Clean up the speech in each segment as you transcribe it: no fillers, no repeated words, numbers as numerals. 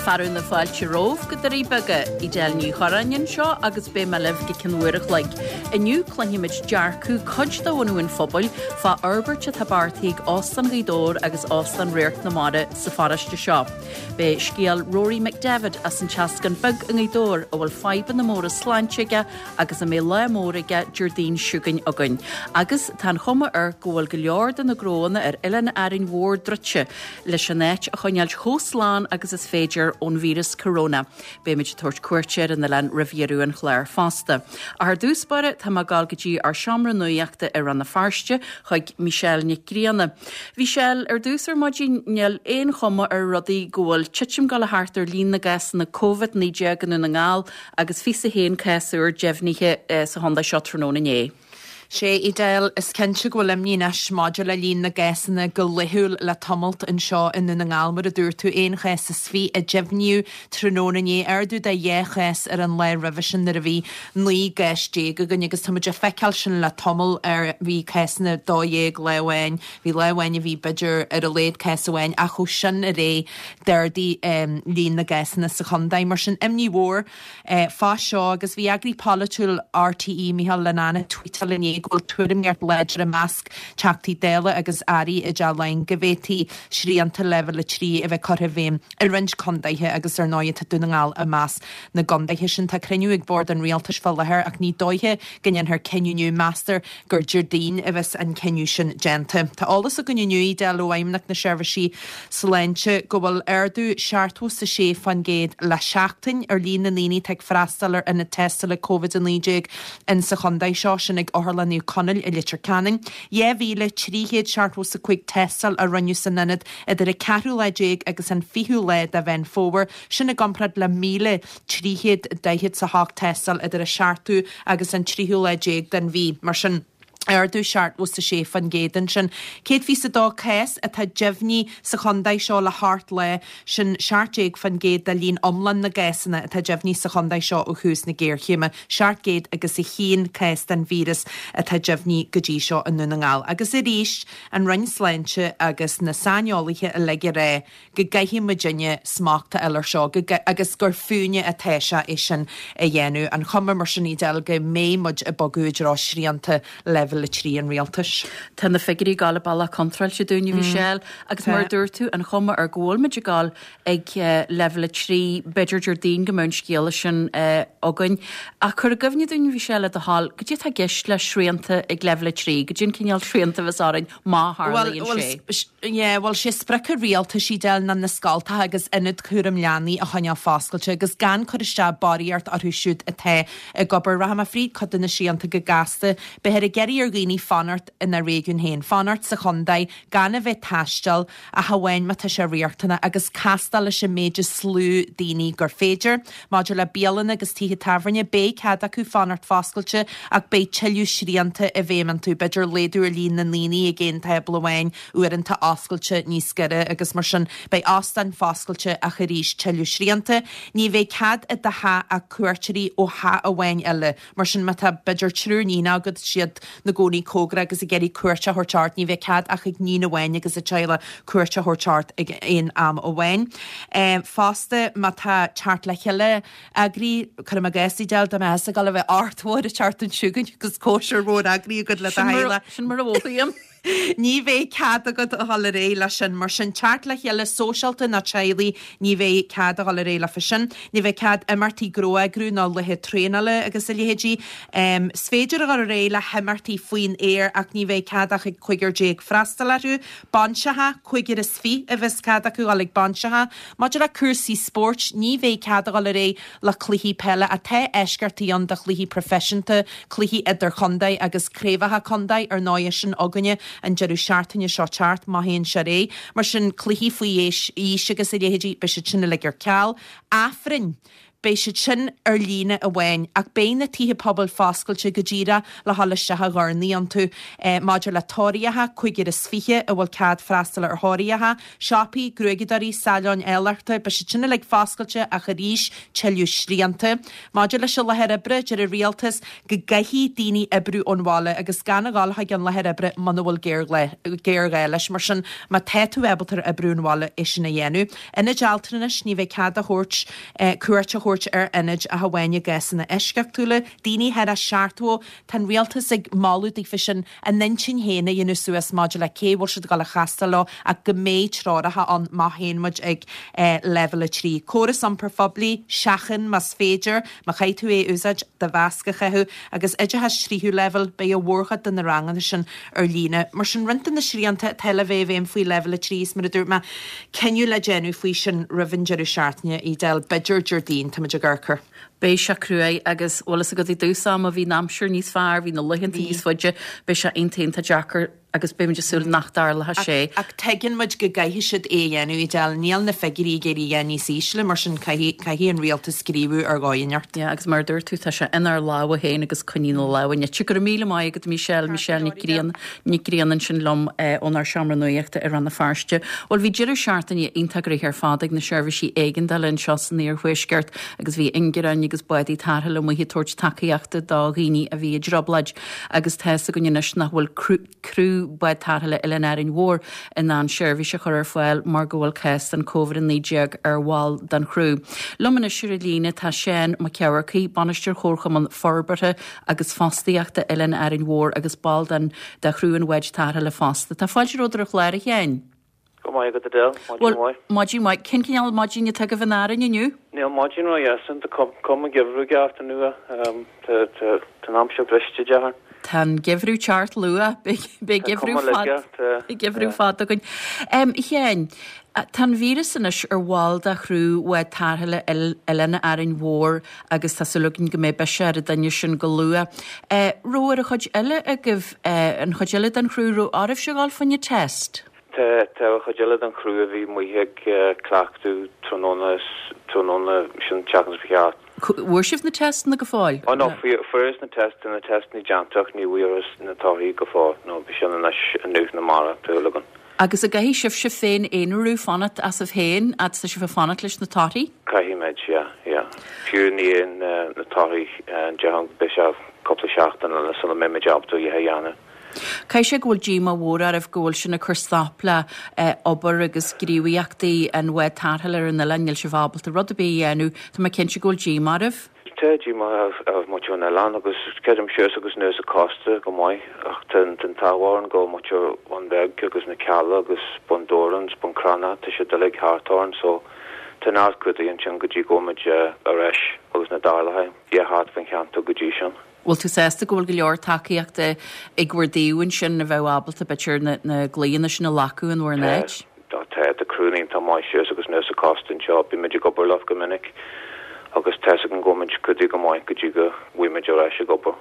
Fearadh na fáilte romhaibh go Doirí Beaga, Edel Ní Chorráin anseo agus beidh mé libh go cionn uair a chloig. Inniu cluinfimid dearcadh cuid de bhunú an phobail fá fhorbairt atá beartaithe ag Óstán Ghaoth Dobhair agus Óstán Radharc na Mara sa pharóiste seo. Beidh scéal Rory McDevitt as an Teascán Beag i nGaoth Dobhair a bhfuil fadhbanna móra sláinte aige agus a mbeidh lá mór aige Déardaoin seo chugainn againn. Agus tá an chuma air go bhfuil go leor de na gnóanna ar oileán Árainn Mhór druidte leis an áit a choinneáilt chomh slán agus is féidir ón víreas corona. Beimid ag tabhairt cuairte ar an oileán roimh dheireadh an chláir fosta. Ach ar dtús báire tá mé ag gabháil go dtí ár seomra nuachta i Rann na Feirste chuig Michelle Nic Grianna. Michelle, ar dtús ar maidin níl aon chuma ar rudaí go bhfuil titim ag gabháil a theacht ar líon na gcásanna Covid-19 i nDún na nGall agus 21 cás úr deimhnithe sa chontae seo tráthnóna inné. Sea, Edel, is cinnte go bhfuil imní anois maidir le líon na gcásanna go laethúil le tamalt anseo i nDún na nGall. Mar a dúirt tú, aon chás is 20 a deimhníodh tráthnóna inné, ardú de dhá chás ar an lá roimhe sin nuair a bhí 19 gcás againn agus tá muid ag feiceáil sin le tamall ar bhí cásanna 12 lá amháin, bhí lá amháin a bhí b'fhéidir ar a laghad cás amháin ach ó sin ar aghaidh d'ardaigh líon na gcásanna sa chontae. Mar sin, imní mhór fá seo agus bhí eagraí polaitiúil RTÉ, Micheál Linnane, ag tweetáil inné go bhfuil tuairimíocht láidir i measc Teachtaí Dála agus Airí i dTeach Laighean go bhféadfaí srianta Leibhéal 3 a bheith curtha i bhfeidhm i roinnt contaetha agus ar ndóigh tá Dún na nGall i measc na gcontaetha sin. Tá cruinniú ag Bord an Rialtais fá láthair ach ní dóiche go ndéanfar cinneadh inniu. Meastar gur Déardaoin a bheas an cinneadh sin déanta. Tá eolas againn inniu, Edel, ó Fheidhmeannacht na Seirbhísí Sláinte go bhfuil ardú 76% le seachtain ar líon na ndaoine atá ag freastal ar ionad tástála Covid-19 in sa chontae seo, sin ag Otharlann Naomh Conaill i Leitir Ceanainn. 2,375 tástáil a rinneadh san ionad idir an ceathrú lá déag agus an fichiú lá de Mheán Fómhair, sin i gcomparáid le 1,348 tástáil idir an seachtú agus an tríú lá déag den mhí. Mar sin, ardú 76% ansin. 122 cás atá deimhnithe sa chontae seo le hocht lá, sin 17% de líon iomlán na gcásanna atá deimhnithe sa chontae seo ó thús na géarchéime. 701 cás den víreas atá deimhnithe go dtí seo i nDún na nGall. Agus arís, an Roinn Sláinte agus na saineolaithe uilig ag rá go gcaithfidh muidinne smacht a fháil air seo go agus gur fúinne atá sé é sin a dhéanamh. An chuma mar sin, Edel, go mbeidh muid ag bogadh i dtreo srianta leibhéal 3 an rialtais. Tá na figiúirí ag gabháil an bealach contráilte dúinn, a Mhichelle, agus mar a dúirt tú, an chuma ar go bhfuil muid ag gabháil ag leibhéal 3, b'fhéidir Déardaoin go mbeidh an scéala sin againn. Ach cuir i gcuimhne dúinn, a Mhichelle, le do thoil, goidé atá i gceist le srianta ag leibhéal 3, goidé an cineál srianta a bheas orainn má tharlaíonn sé. Yeah, bhuel, sé sprioc an rialtais, Edel, ná na scoltacha agus ionaid cúram leanaí a choinneáil foscailte agus gan cur isteach barraíocht orthu siúd atá ag obair. Rachaidh mé fríd cuid de na srianta go gasta. Beifear ag iarraidh ar dhaoine fanacht ina réigiún féin, fanacht sa chontae, gan a bheith ag taisteal, ach amháin má tá sé riachtanach, agus castáil leis an méid is lú daoine gur féidir. Maidir le bialanna agus tithe tábhairne, beidh cead acu fanacht foscailte ach beidh tuilleadh srianta i bhfeidhm iontu, b'fhéidir laghdú ar líon na ndaoine ag aon tábla amháin, uaireanta oscailte níos giorra agus mar sin. Beidh óstáin foscailte ach arís tuilleadh srianta. Ní bheidh cead i do theach ach cuairteoirí ó theach amháin eile. Mar sin, má tá b'fhéidir triúr níonacha agat, siad 'na gcónaí cóngarach agus ag iarraidh cuairt a thabhairt ort, ní bheidh cead ach ag níon amháin agus a teaghlach cuairt a thabhairt ort ag aon am amháin. Fosta, má tá teacht le chéile eagraithe, cuirim i gcás, Edel, dá mbeifeása ag dul a bheith ort mhór an tseachtain seo chugainn agus cóisir mhór eagraithe agat le do theaghlach. Sin mar a mhothaím. Ní bheidh cead agat a dhul ar aghaidh leis sin. Mar sin, teacht le chéile sóisialta nó teaghlaigh, ní bheidh cead a dhul ar aghaidh leofa sin. Ní bheidh cead imeachtaí gnó a eagrú nó laetha traenála agus a leithéidí. Is féidir a dhul ar aghaidh le himeachtaí faoin aer ach ní bheidh cead ach ag 15 freastal orthu. Bainseacha, cúigear is fiche a bheas cead acu dhul ag bainseacha. Maidir le cúrsaí spóirt, ní bheidh cead a dhul ar aghaidh le cluichí peile ach tá eisceachtaí ann do chluichí proifisiúnta, cluichí idirchontae agus craobhacha contae, ar ndóigh, sin againne an deireadh seachtaine seo teacht, má théann sé ar aghaidh. Mar sin, cluichí faoi aois agus a leithéidí, beidh siad sin uilig ar ceal. Aifrinn. Beidh siad sin ar líne amháin, ach beidh na tithe pobail foscailte go díreach le dhul isteach a dhornaí iontu. Maidir le tóraíocha, 25 a bhfuil cead freastal ar thóraíocha, siopaí, gruaigeadóirí, saileáin áilleachta, beidh siad sin uilig foscailte ach arís tuilleadh srianta. Maidir leis an láthair oibre, deir an Rialtas go gcaithfidh daoine oibriú ón bhaile agus gan a dhul chuig an láthair oibre muna bhfuil géarghá leis. Mar sin, má tá tú ábalta oibriú ón bhaile, é sin a dhéanamh. Ionaid altranais, ní bheidh cead a thabhairt cuairt a thabhairt ar ionaid ach amháin i gcásanna eisceachtúla. Daoine thar a 70, tá an rialtas ag moladh daofa sin a n-intinn féin a dhéanamh suas maidir le cé bhfuil siad ag dul a chastáil leo ach go mbeidh treoracha ann má théann muid ag leibhéal 3. Córas iompair phoiblí, seachain más féidir, má chaithfidh tú é a úsáid, do mhasc a chaitheamh agus oideachas tríú leibhéal, beidh an mhórchuid de na ranganna sin ar líne. Mar sin, roinnt de na srianta atá le bheith i bhfeidhm faoi leibhéal 3 is mar a dúirt mé, cinneadh le déanamh faoi sin roimh an deireadh seachtaine, Edel, b'fhéidir Déardaoin, táimid ag amharc air. Beidh sé cruaidh agus, bhfuil fhios agat, i dtús ama bhí an aimsir níos fearr, bhí na laethanta níos faide, beidh sé iontach iontach deacair agus beimid ag súil nach dtarlóidh sé. Ach tuigeann muid go gcaithfidh siad é a dhéanamh, Edel, níl na figiúirí ag éirí a dhath níos ísle, mar sin caithfidh, caithfidh an rialtas gníomhú ar dhóigh inteacht. Yeah, agus mar a dúirt tú, tá sé inár lámha féin agus coinnigh na lámha nite. Go raibh míle maith agat, Michelle, Michelle Nic Grianna. Nic Grianna ansin liom ónár seomra nuachta i Rann na Feirste. Bhuel, bhí deireadh seachtaine iontach gnoitheach ar fad ag na seirbhísí éigeandála anseo san iarthuaisceart agus bhí ingearáin agus bádaí tarrthála amuigh ag tabhairt tacaíochta do dhaoine a bhí i dtrioblóid agus tá fhios againn anois nach bhfuil criú bád tarrthála Oileán Árainn Mhór in ann seirbhís a chur ar fáil mar go bhfuil cás den Covid-19 ar bhall den chriú. Liom anois ar an líne tá Seán Mac Eamharcaigh, Bainisteoir Chomharchumann Forbartha agus Fostaíochta Oileán Árainn Mhór agus ball den de chriú an bháid tarrthála fosta. Tá fáilte romhat ar an chlár, a Sheáin. Go maith agat Edel, maidin mhaith. Maidin mhaith. Cén cineál maidin atá agaibh in Árainn inniu? Níl maidin ró-dheas ann, tá cuma geimhreadh ag teacht anuas. Tá an aimsir briste, déarfainn. Tá an geimhreadh ag teacht luath. Beidh geimhreadh fada, beidh geimhreadh fada againn. A Sheáin, tá an víreas anois ar bhall de chriú bhád tarrthála Oileán Árainn Mhór agus tá súil againn go mbeidh biseach ar an duine sin go luath. Raibh ar an chuid eile agaibh, an chuid eile den chriú, raibh oraibhse a dhul fá choinne test? Tá, tá an chuid eile den chriú a bhí amuigh ag cleachtadh tráthnóna, tráthnóna sin tseachtain seo chaite. Bhfuair sibh na testanna go fóill? Oh no, fuaireas na testanna, na testanna déanta ach ní bhfuaireas na torthaí go fóill, no, beidh sin anois inniu nó amárach, tá súil againn. Agus an gcaithfidh sibhse féin aonarú, fanacht asaibh féin, fhad 's tá sibh ag fanacht leis na torthaí? Caithfimid, yeah, yeah. Fiú i ndiaidh na torthaí, déarfainn beidh sé cúpla seachtain eile sula mbeimid ábalta a dhath a dhéanamh. Caithfidh sé go bhfuil díomá mhór oraibh go bhfuil sin ag cur stop le obair agus gníomhaíochtaí an bháid tarrthála ar an oileán, níl sibh ábalta rud ar bith a dhéanamh, tá mé cinnte go bhfuil díomá oraibh. Tá díomá ar mhuintir an oileáin agus creidim síos agus anuas an cósta go maith ach tá an t-ádh orainn go bhfuil muintir Bhun Beag agus na Cealla agus Bun Dobhráin 's Bun Cranncha tá siad uilig thart orainn so tá neart cuidiú ansin go dtí go bhfuil muid ar ais agus na dtarlaithe dhé thart faoin cheantar go dtí sin. Bhfuil tú sásta go bhfuil go leor tacaíochta ag bhur dtaobh ansin a bheadh ábalta b'fhéidir na glaonna sin a ghlacadh in bhur n-áit? Tá tá criú iontach maith síos agus anuas an cósta anseo. Bímid ag obair leo go minic agus tá's againn go bhfuil muid clúdaithe go maith go dtí go bhfuil muid ar ais ag obair.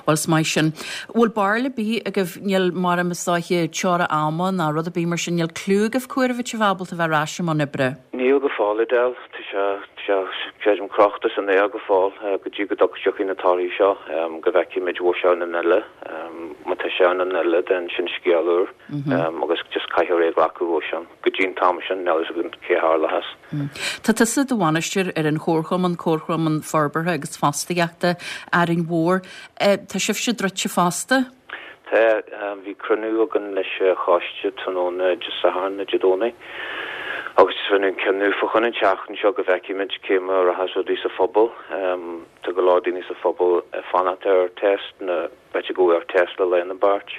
Bhuel, is maith sin. Bhfuil barúil ar bith agaibh, níl, mar is dóiche, teora ama ná rud ar bith mar sin, níl cliú agaibh cá huair a bheidh sibh ábalta bheith ar ais i mbun oibre? Níl go fóill, Edel. Tá sé, tá sé, creidim, crochta san aer go fóill go dtí go dtiocfaidh na torthaí seo, go bhfeicfimid bhfuil sé ann an uile. Má tá sé ann an uile, then sin scéal úr. agus just caithfear é a ghlacadh ó sin go dtí an t-am sin, níl a fhios againn cé a tharlóchas. Tá tusa i do bhainisteoir ar an Chomharchumann, Comharchumann Forbartha agus Fostaíochta Árainn Mhór. Tá sibhse druidte fosta? Tá. Bhí cruinniú againn leis an choiste tráthnóna Dé Sathairn nó Dé Domhnaigh agus just rinneadh an cinneadh fá choinne an tseachtain seo go bhfeicfimid cé mar a rachas rudaí sa phobal. Tá go leor daoine sa phobal ag fanacht ar test na b'fhéidir go bhfuil ar test le lá nó beirt.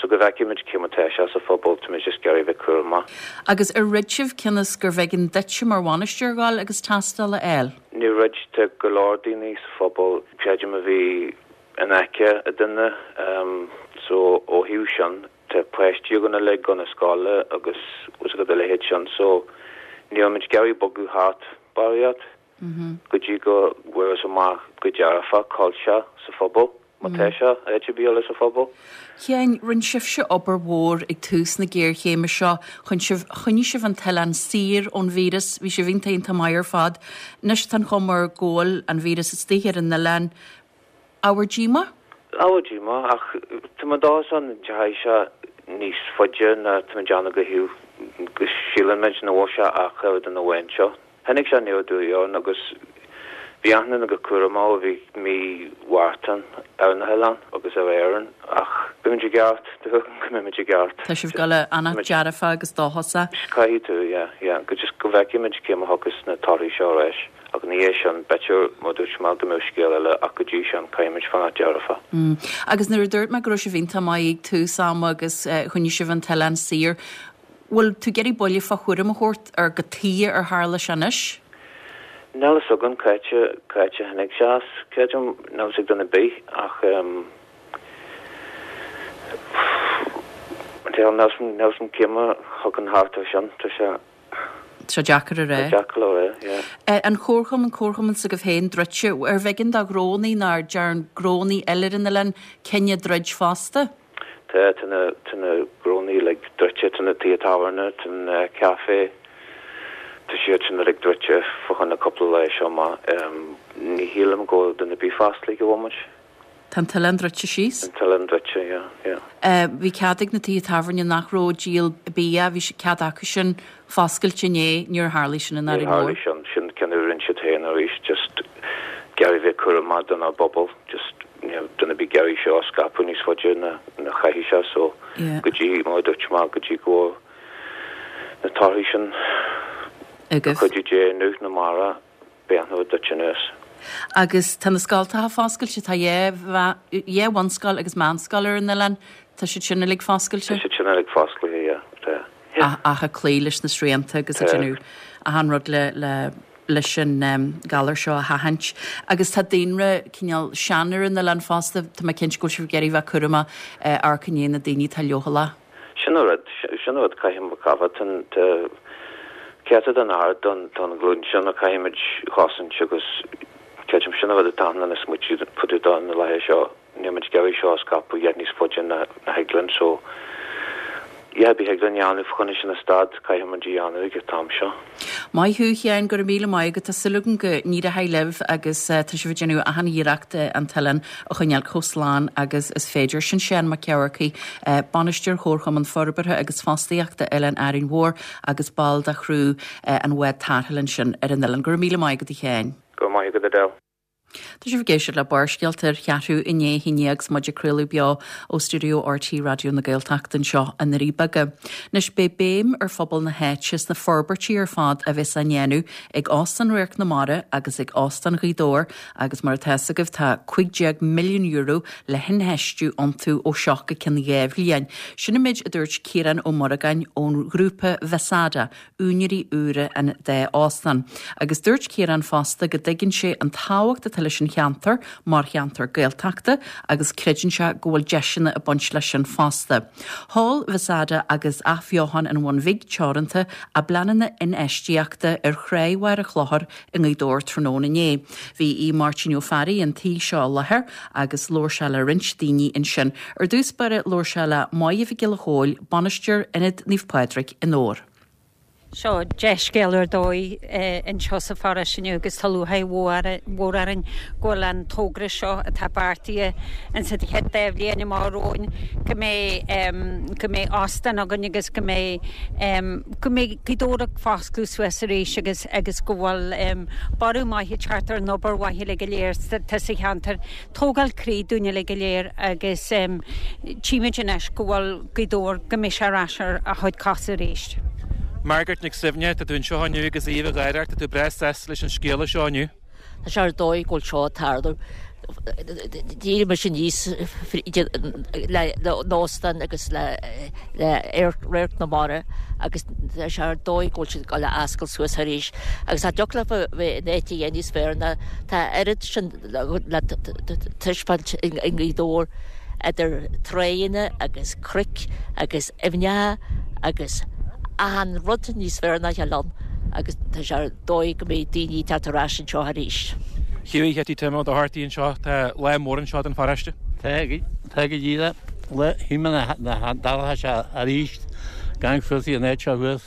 So go bhfeicfimid cé mar tá sé sa phobal, tá muid just ag iarraidh bheith cúramach. Agus ar throid sibh cionn is gurbh éigean duitse mar bhainisteoir dhul agus tástáil a fháil? Níor throid, tá go leor daoine sa phobal, creidim a bhí in aice a duine so ó thaobh sin tá páistí againn uilig chun na scoile agus bhfuil a fhios agat a leithéid sin so níl muid ag iarraidh bogadh thart barraíocht go dtí go bhfuarthas amach go dearfach cá bhfuil sé sa phobal. Má tá sé, áit ar bith eile sa phobal. Sheáin, rinne sibhse obair mhór ag tús na géarchéime seo chun sibh, choinnigh sibh an t-oileán saor ón víreas, bhí sibh iontach iontach maith ar fad. Anois tá an chuma air go bhfuil an víreas istigh ar an oileán. Ábhar díomá? Ábhar díomá, ach tá mé dóchasach an ndeachaigh sé níos faide ná tá mé ag déanamh go thaobh go síleann muid nach bhfuil sé ach ar an duine amháin seo. Tháinig sé aniar aduaidh orainn agus bhí achan duine go cúramach ó bhí mí Mhárta ar na hoileáin agus ar Éirinn ach beimid i gceart, tá súil agam go mbeimid i gceart. Tá sibh ag dul a fhanacht dearfa agus dóchasach. Caithfidh tú, yeah, yeah, go just go bhfeicfimid cé mar thiocfas na torthaí seo ar ais ach ina dhiaidh sin b'fhéidir mar dúirt mé go mbeadh scéal eile ach go dtí sin caithfimid fanacht dearfa. Agus nuair a dúirt mé go raibh sibh iontach maith ag tús ama agus choinnigh sibh an t-oileán saor, Bhfuil tú ag iarraidh buille fá thuairim a thabhairt ar cad tuige ar tharla sé anois? Níl fhios againn cá háit a, cá háit a tháinig sé as, creidim, níl fhios ag duine ar bith ach ehm níl fhios níl fhios agam cé mar a thiocfainn thart air sin, tá sé. Tá sé deacair a rá. Tá deacair le rá, yeah. An comharchumann, comharchumann s'agaibh féin druidte, arbh éigean do ghnónnaí nó ar dearn gnónnaí eile ar an oileán cinneadh druid fosta? Tá, tá na, tá na gnónnaí uilig druidte, tá na tithe tábhairne, tá na café, tá siad sin uilig druidte fá choinne cúpla lá seo amach. Ní shílim go bhfuil duine ar bith fosclaithe ag an bhomaite. Tá an t-oileán druidte síos? An t-oileán druidte, yeah, yeah. Bhí cead ag na tithe tábhairne nach raibh ag díol bia, bhí cead acu sin foscailt inné, níor tharlaigh sin in Árainn Mhór. Níor tharlaigh sin, sin cinneadh a rinne siad féin arís, just ag iarraidh bheith cúramach don bpobal, just níl duine ar bith ag iarraidh seo a scaipeadh níos faide ná ná chaithfidh sé so go dtí, mar a dúirt mé, go dtí go bhfuil na torthaí sin agaibh. Cuidiú Dé inniu nó amárach beidh an rud duit anuas. Agus tá na scoltacha foscailte, tá dhá bhunscoil agus meánscoil ar an oileán, tá siad sin uilig foscailte? Tá siad sin uilig fosclaithe, yeah, tá. Yeah. Ach ag cloí leis na srianta agus ag déanamh achan rud le, le, leis an galar seo a sheachaint. Agus tá daonra cineál sean ar an oileán fosta, tá mé cinnte go bhfuil sibh ag iarraidh bheith cúramach amharc i ndiaidh na daoine atá leochaileach. Sin an rud, sin an rud, caithfidh muid cabhair, tá céatadán ard don ghlúin sin a caithfimid a chosaint agus creidim sin an rud atá ann ina smaoitiú fá dtaobh de na laetha seo. Níl muid ag iarraidh seo a scaipeadh a dhath níos faide ná a thig linn so a dhath ar bith a thig linn a dhéanamh fá choinne sin a stad, caithfidh muid a dhéanamh ag an t-am seo. Maith thú, a Sheáin, go raibh míle maith agat. Tá súil agam go n-éireoidh libh agus tá sibh ag déanamh achan iarracht an t-oileán a choinneáil chomh slán agus is féidir. Sin Seán Mac Eamharcaigh, Bainisteoir Chomharchumann Forbartha agus Fostaíochta Oileán Árainn Mhór agus ball de chriú an bhád tarrthála ansin ar an oileán. Go raibh míle maith agat, a Sheáin. Go raibh maith agat, Edel. Tá sibh ag éisteacht le Barrscéalta ar cheathrú i ndiaidh a haon déag agus muid ag craoladh beo ó stiúideo RTÉ Raidió na Gaeltachta anseo i nDoirí Beaga. Anois beidh béim ar phobal na háite sna forbairtí ar fad a bheas á ndéanamh ag Óstán Radharc na Mara agus ag Óstán Ghaoth Dobhair agus mar atá fhios agaibh tá €15 milliún le hinfheistiú iontu ó seo go ceann 2 bhliain. Sin an méid a dúirt Ciarán Ó Muireagáin ón ghrúpa Vesada úinéirí úra an dá óstán. Agus dúirt Ciarán fosta go dtuigeann sé an tábhacht atá leis an cheantar mar cheantar Gaeltachta agus creideann sé go bhfuil deiseanna ag baint leis sin fosta. Sheol Vesada agus Athbheochan an Bhun Bhig Teoranta a bpleananna infheistíochta ar Thráigh Mhachaire Chlochair i nGaoth Dobhair tráthnóna inné. Bhí Aodh Máirtín Ó Fearraigh an tí seo i láthair agus labhair sé le roinnt daoine ansin. Ar dtús báire labhair sé le Máire Mhic Giolla Chóill, Bainisteoir Ionad Naomh Pádraig i nDobhar. Seo dea-scéal ar dóigh anseo sa pharóiste inniu agus tá lúcháir mhór orainn go bhfuil an togra seo atá beartaithe insa chéad dá bhliain amach romhainn go mbeidh go mbeidh óstán againn agus go mbeidh go mbeidh Gaoth Dobhair ag foscladh suas arís agus agus go bhfuil borradh maith ag teacht ar an obair mhaith uilig go léir atá sa cheantar. Tógáil croí dúinn uilig go léir agus tchímid anois go bhfuil Gaoth Dobhair, go mbeidh sé ar ais ar a chuid cosa arís. Margaret Nic Suibhne, tá tú anseo inniu agus aoibh ag gáire ort, tá tú breá sásta leis an scéala seo inniu. Tá sé ar dóigh go bhfuil seo ag tarlú. D'éirigh mise aníos le an óstán agus le Radharc na Mara agus tá sé ar dóigh go bhfuil siad ag dul a oscailt suas arís. Agus cha dtiocfadh leofa bheith in áit a dhath níos fearr ná tá oiread sin le taispeáint i nGaoth Dobhair idir tráigheanna agus cnoic agus aibhneacha agus achan rud níos fearr ná a chéile ann agus tá sé ar dóigh go mbeidh daoine ag teacht ar ais anseo arís. Hughie Chetty Tim Ó Dochartaigh anseo, tá lá mór anseo don pharóiste. Tá tá go díreach le shíl mé nach dtarlódh sé arís gan fios an áit seo thuas.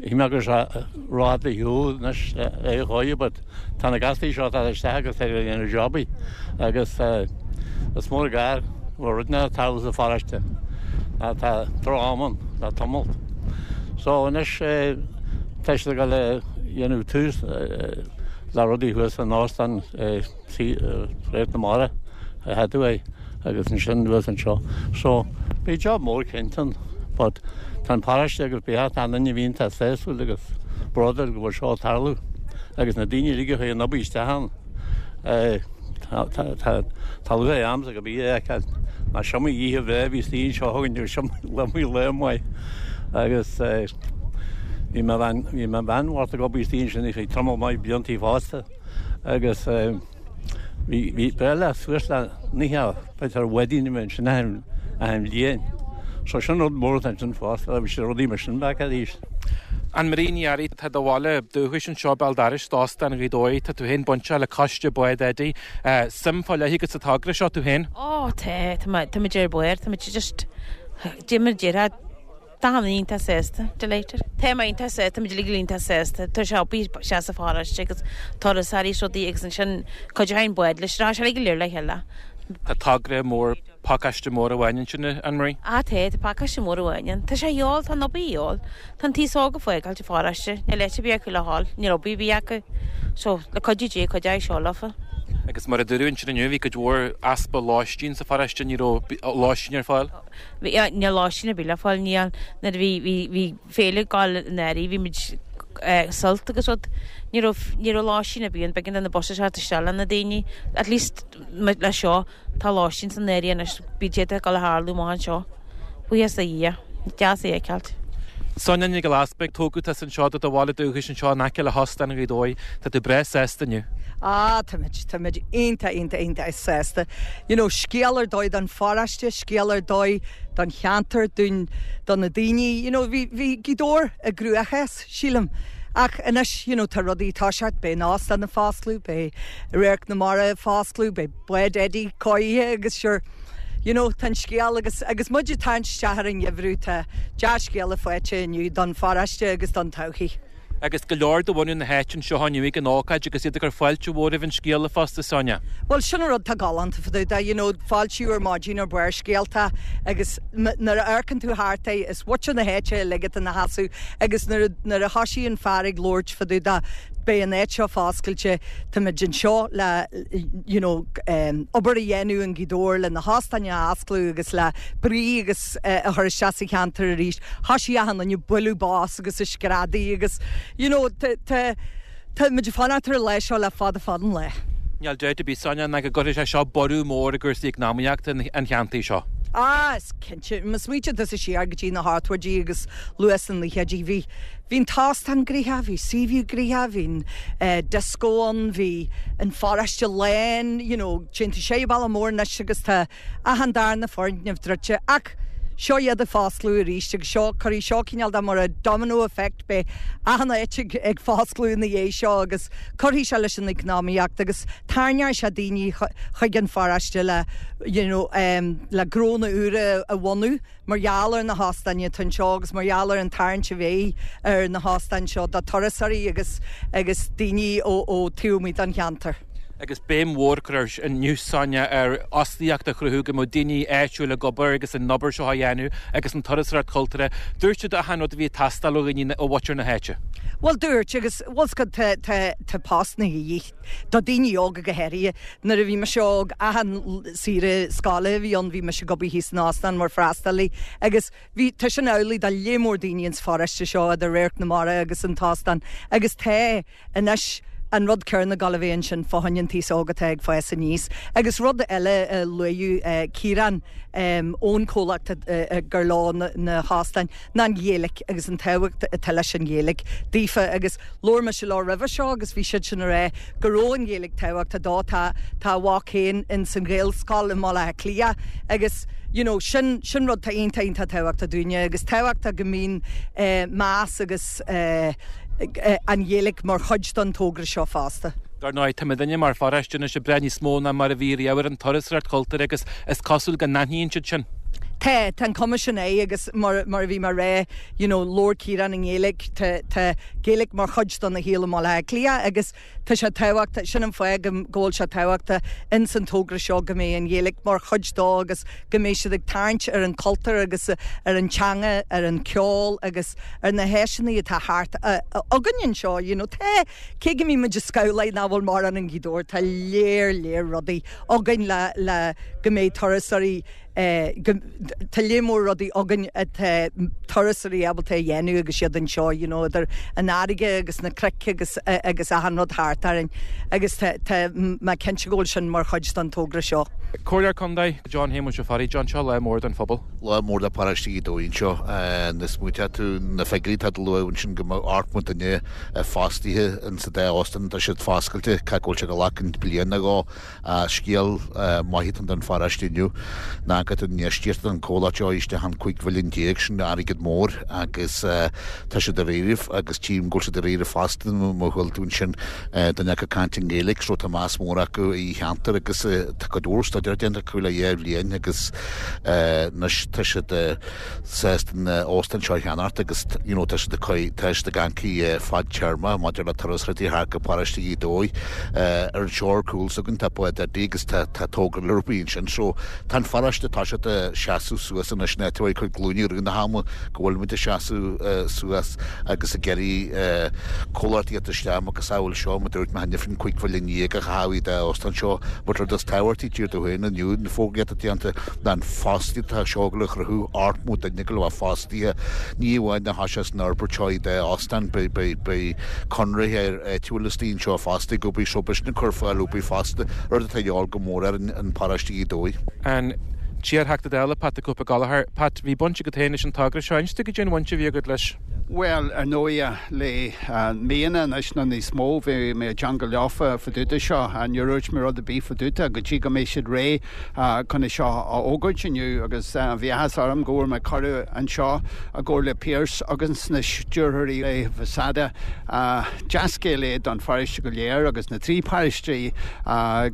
Shíl mé go raibh sé rófhada ar shiúl anois le aghaidh chóir but tá na gasraí seo ag teacht isteach agus tá siad ag déanamh jobaí agus is mór an gar go bhfuil rud ag tarlú sa pharóiste ná tá droch-am ann le tamall. So anois tá siad ag dul a dhéanamh tús le rudaí thuas san óstán. Radharc na Mara a Hathaway agus ansin anuas anseo. So, beidh job mór cinnte ann but tá an paróiste agus beidh achan duine a bhíonn tá sásúil agus bródúil go bhfuil seo ag tarlú agus na daoine uilig a chuaigh an obair isteach ann tá tá lúcháir ormsa go bith a fheiceáil ná is iomaí oíche bhreá a bhí istigh anseo againn agus is iomaí lá maith agus bhí mo bhean bhí mo bhean bhocht ag obair istigh ansin ar feadh tamall maith bliantaí fosta. agus bhí breith le suas le 90 b'fhéidir wedding a bhí ansin achan bhliain. So sin rud mór atá ansin fosta, bhí sé rudaí mar sin back arís. Ann-Marie Ní Fhearraigh, tá do bhaile dúchais anseo, Béal Dorais, d'Óstán Ghaoth Dobhair, tá tú féin bainteach le coiste Bád Eddie. Suim fá leith agat sa togra seo tú féin? Ó tá, tá mé, tá muid ar barr, tá muid just, déarfaidh muid, Tá mé iontach sásta, delighted. Tá mé iontach sásta, tá muid uilig iontach sásta. Tá sé obair isteach sa pharóiste agus turasóirí is rudaí agus ansin cuideoidh an bád leis, tá sé uilig go léir le chéile. Tá togra mór, pacáiste mór amháin ansin, a Ann-Marie? Ah tá, tá pacáiste mór amháin ann. Tá sé a dhíobháil, tá an obair a dhíobháil. Tá an t-aos óg ag fágáilt an pharóiste, níl áit ar bith acu le dhul, níl obair ar bith acu. So, le cuidiú Dé, cuideoidh seo leofa. Agus mar a dúradh ansin inniu, bhí cuid mhór easpa lóistín sa pharóiste, ní raibh lóistín ar fáil. Bhí, níl lóistín ar bith le fáil, níl. Nuair a bhí, bhí, bhí féile ag gabháil in áirithe, bhí muid eh, sult agus rud. Ní raibh, ní raibh lóistín ar bith ann, b'éigean do na buses theacht isteach le na daoine. At least le seo, tá lóistín san áirithe anois, bíonn siad ag gabháil a tharlú amach anseo. Buíochas do Dhia. Deas é a fheiceáilt. Sonia Nic Giolla Easpaig, tógadh tusa anseo do do bhaile dúchais anseo in aice le hÓstán Ghaoth Dobhair. Tá tú breá sásta inniu. Ah, táimid, táimid iontach, iontach, iontach sásta. You know, scéal ar dóigh don pharóiste, scéal ar dóigh don cheantar, dúinn, do na daoine. You know, bhí, bhí Gaoth Dobhair i gcruachás, sílim. Ach anois, you know, tá rudaí ag toiseacht, beidh an óstán ag foscladh, beidh Radharc na Mara ag foscladh, beidh Bád Eddie cóirithe agus sure, you know, tá an scéal agus, agus muid ag tarraingt isteach ar an gheimhreadh, tá dea-scéala faighte inniu don pharóiste agus don todhchaí. Agus go leor de bhunadh na háite anseo inniu ag an ócáid agus iad ag cur fáilte mhór roimh an scéala fosta, Sonia. Bhuel, sin an rud atá galánta fá dtaobh de, you know, fáiltiú ar maidin ar Barrscéalta agus nuair a amharcann tú thart é, is muintir na háite uilig atá ina sheasamh agus nuair a, nuair a thoisigh an fear ag labhairt fá dtaobh de, beidh an áit seo foscailte, táimid anseo le, you know, obair a dhéanamh in Gaoth Dobhair le na hóstáin a osclú agus le brí agus a chur isteach sa cheantar arís. Thoisigh achan duine ag bualadh bos agus ag screadaigh agus, you know, tá, tá, táimid ag fanacht ar an lá seo le fada fada an lá. Níl dabht ar bith, Sonia, ná go gcuirfidh sé seo borradh mór i gcúrsaí eacnamaíochta an cheantair seo. Ah, is cinnte. Má smaoitíonn tusa siar go dtí na hochtóidí agus luath sna naochaidí, bhí, Bhí an t-óstán gnoitheach, bhí Seaview gnoitheach, bhí an disco ann, bhí an pharóiste lán, you know, téann tú siar an bealach mór anois agus tá achan darna foirgneamh druidte ach seo iad ag foscladh arís agus seo, cuirfidh seo cineál de mar a domino effect, beidh achan áit ag ag foscladh ina dhiaidh seo agus cuirfidh sé leis an eacnamaíocht agus tarraingeoidh sé daoine chuig an pharóiste le you know, le gnónna úra a bhunú. Mar gheall ar na hóstáin atá anseo agus mar gheall ar an tarraingt a bheidh ar na hóstáin seo do turasóirí agus agus daoine ó ó taobh amuigh den cheantar. Agus béim mhór curtha inniu, Sonia, ar fhostaíocht a chruthú, go mbeadh daoine áitiúil ag obair agus an obair seo á dhéanamh agus an turasóireacht chultúrtha. Dúirt siad achan rud a bhí ag teastáil ó dhaoine, ó mhuintir na háite. Bhuel, dúirt, agus bhfuil 's agat tá tá tá postanna a dhíth do daoine óga go háirithe. Nuair a bhí mise óg, achan saoire scoile a bhí ann, bhí mise ag obair thíos san óstán mar freastalaí agus bhí, tá sin amhlaidh do lear mór daoine ins pharóiste seo idir Radharc na Mara agus an t-óstán agus tá anois an rud céanna ag gabháil a bheith ansin fá choinne an t-aos óg atá ag fás aníos. Agus rud eile a luaigh Ciarán ón chomhlacht gur leo na hóstáin, ná an Ghaeilge agus an tábhacht atá leis an Ghaeilge daofa agus labhair mise leo roimhe seo agus bhí siadsan ag rá go raibh an Ghaeilge tábhachtach dó, tá tá a mhac féin ins an Ghaelscoil i mBaile Átha Cliath agus you know sin sin rud tá iontach iontach tábhachtach dúinne agus tábhachtach go mbíonn eh meas agus eh an Ghaeilge mar chuid den togra seo fosta. Dar ndóigh, tá muidinne mar pharóiste anois ag brath níos mó ná mar a bhí riamh ar an turasóireacht chultúrtha agus is cosúil go n-aithníonn siad sin. Tá, tá an cuma sin air agus mar, mar a bhí mé a rá, you know, labhair Ciarán i nGaeilge, tá, tá Gaeilge mar chuid dona shaol i mBaile Átha Cliath agus tá sé tábhachtach, sin an fáth go, go bhfuil sé tábhachtach ins an togra seo go mbeidh an Ghaeilge mar chuid dó agus go mbeidh siad ag tarraingt ar an chultúr agus ar an teanga, ar an cheol agus ar na háiseanna atá thart againn anseo, you know, tá, Cé go mbíonn muid ag scamhlaigh nach bhfuil mórán i nGaoth Dobhair, tá léar léar rudaí againn le le go mbeidh turasóirí go tá léar mór rudaí againn atá turasóirí ábalta a dhéanamh agus iad anseo, you know, idir an fharraige agus na cnoic agus agus achan rud thart orainn agus tá tá mé cinnte go bhfuil sin mar chuid den togra seo. Comhairleoir Contae, John Shéamuis Ó Fearraigh, John, seo lá mór don phobal. Lá mór do pharóiste Ghaoth Dobhair anseo. Nuair a smaointeodh tú na figiúirí atá tú a lua ansin go mbeadh 80 duine fostaithe in sa dá óstán atá siad foscailte, cé go bhfuil sé ag glacadh bliain nó dhó. Scéal maith atá ann don pharóiste inniu ná go an infheistíocht an comhlacht seo isteach an 15 mhilliún sin airgead mór agus tá siad dáiríre agus tchím go bhfuil siad dáiríre fosta má chuala tú ansin duine acu ag caint i nGaeilge so tá meas mór acu i cheantar agus tá cuid mhór staidéir déanta acu le dhá bhliain agus anois tá siad sásta an óstán seo a cheannacht agus you know tá siad ag tá siad ag amharc fadtéarma maidir le turasóirí a theacht go paróiste Ghaoth Dobhair. Ar an seor ar cúl s'againn tá Bád Eddie agus tá tá togra Lurby ansin so tá an pharóiste tá siad ag seasamh suas anois in áit a bhfuil cuid glúine i rith na hama go bhfuil muid ag seasamh suas agus ag iarraidh comhlachtaí a theacht isteach macasamhail seo mar dúirt mé cheana féin 15 mhilliún a chaitheamh i dá óstán seo but rud is tábhachtaí tír do féin inniu na fógraí atá déanta ná an fostaíocht atá seo le chruthú 80 duine go bhfuil fostaithe ní amháin na háise san fhorbairt seo i dá óstán beidh conraitheoir áitiúil istigh anseo fosta ag obair so beidh sin ag cur fáil obair fosta rud atá a dhíobháil go mór ar an paróiste Ghaoth Dobhair. An t-iar-Theachta Dála, Pat the Cope Gallagher. Pat, bhí baint agat féin leis an togra seo. Inis dúinn goidé an bhaint a bhí agat leis. Bhuel, ar ndóighe, le míonna anois nó níos mó, bhí mé i dteangail leofa fá dtaobh de seo. Níor dhúirt mé rud ar bith fá dtaobh de go dtí go mbeidh siad réidh chun é seo a fhógairt inniu agus bhí áthas orm go bhfuair mé cuireadh anseo i gcomhar le Pearse agus na stiúrthóirí le Vasada. Dea-scéal é don pharóiste go léir agus na trí paróistí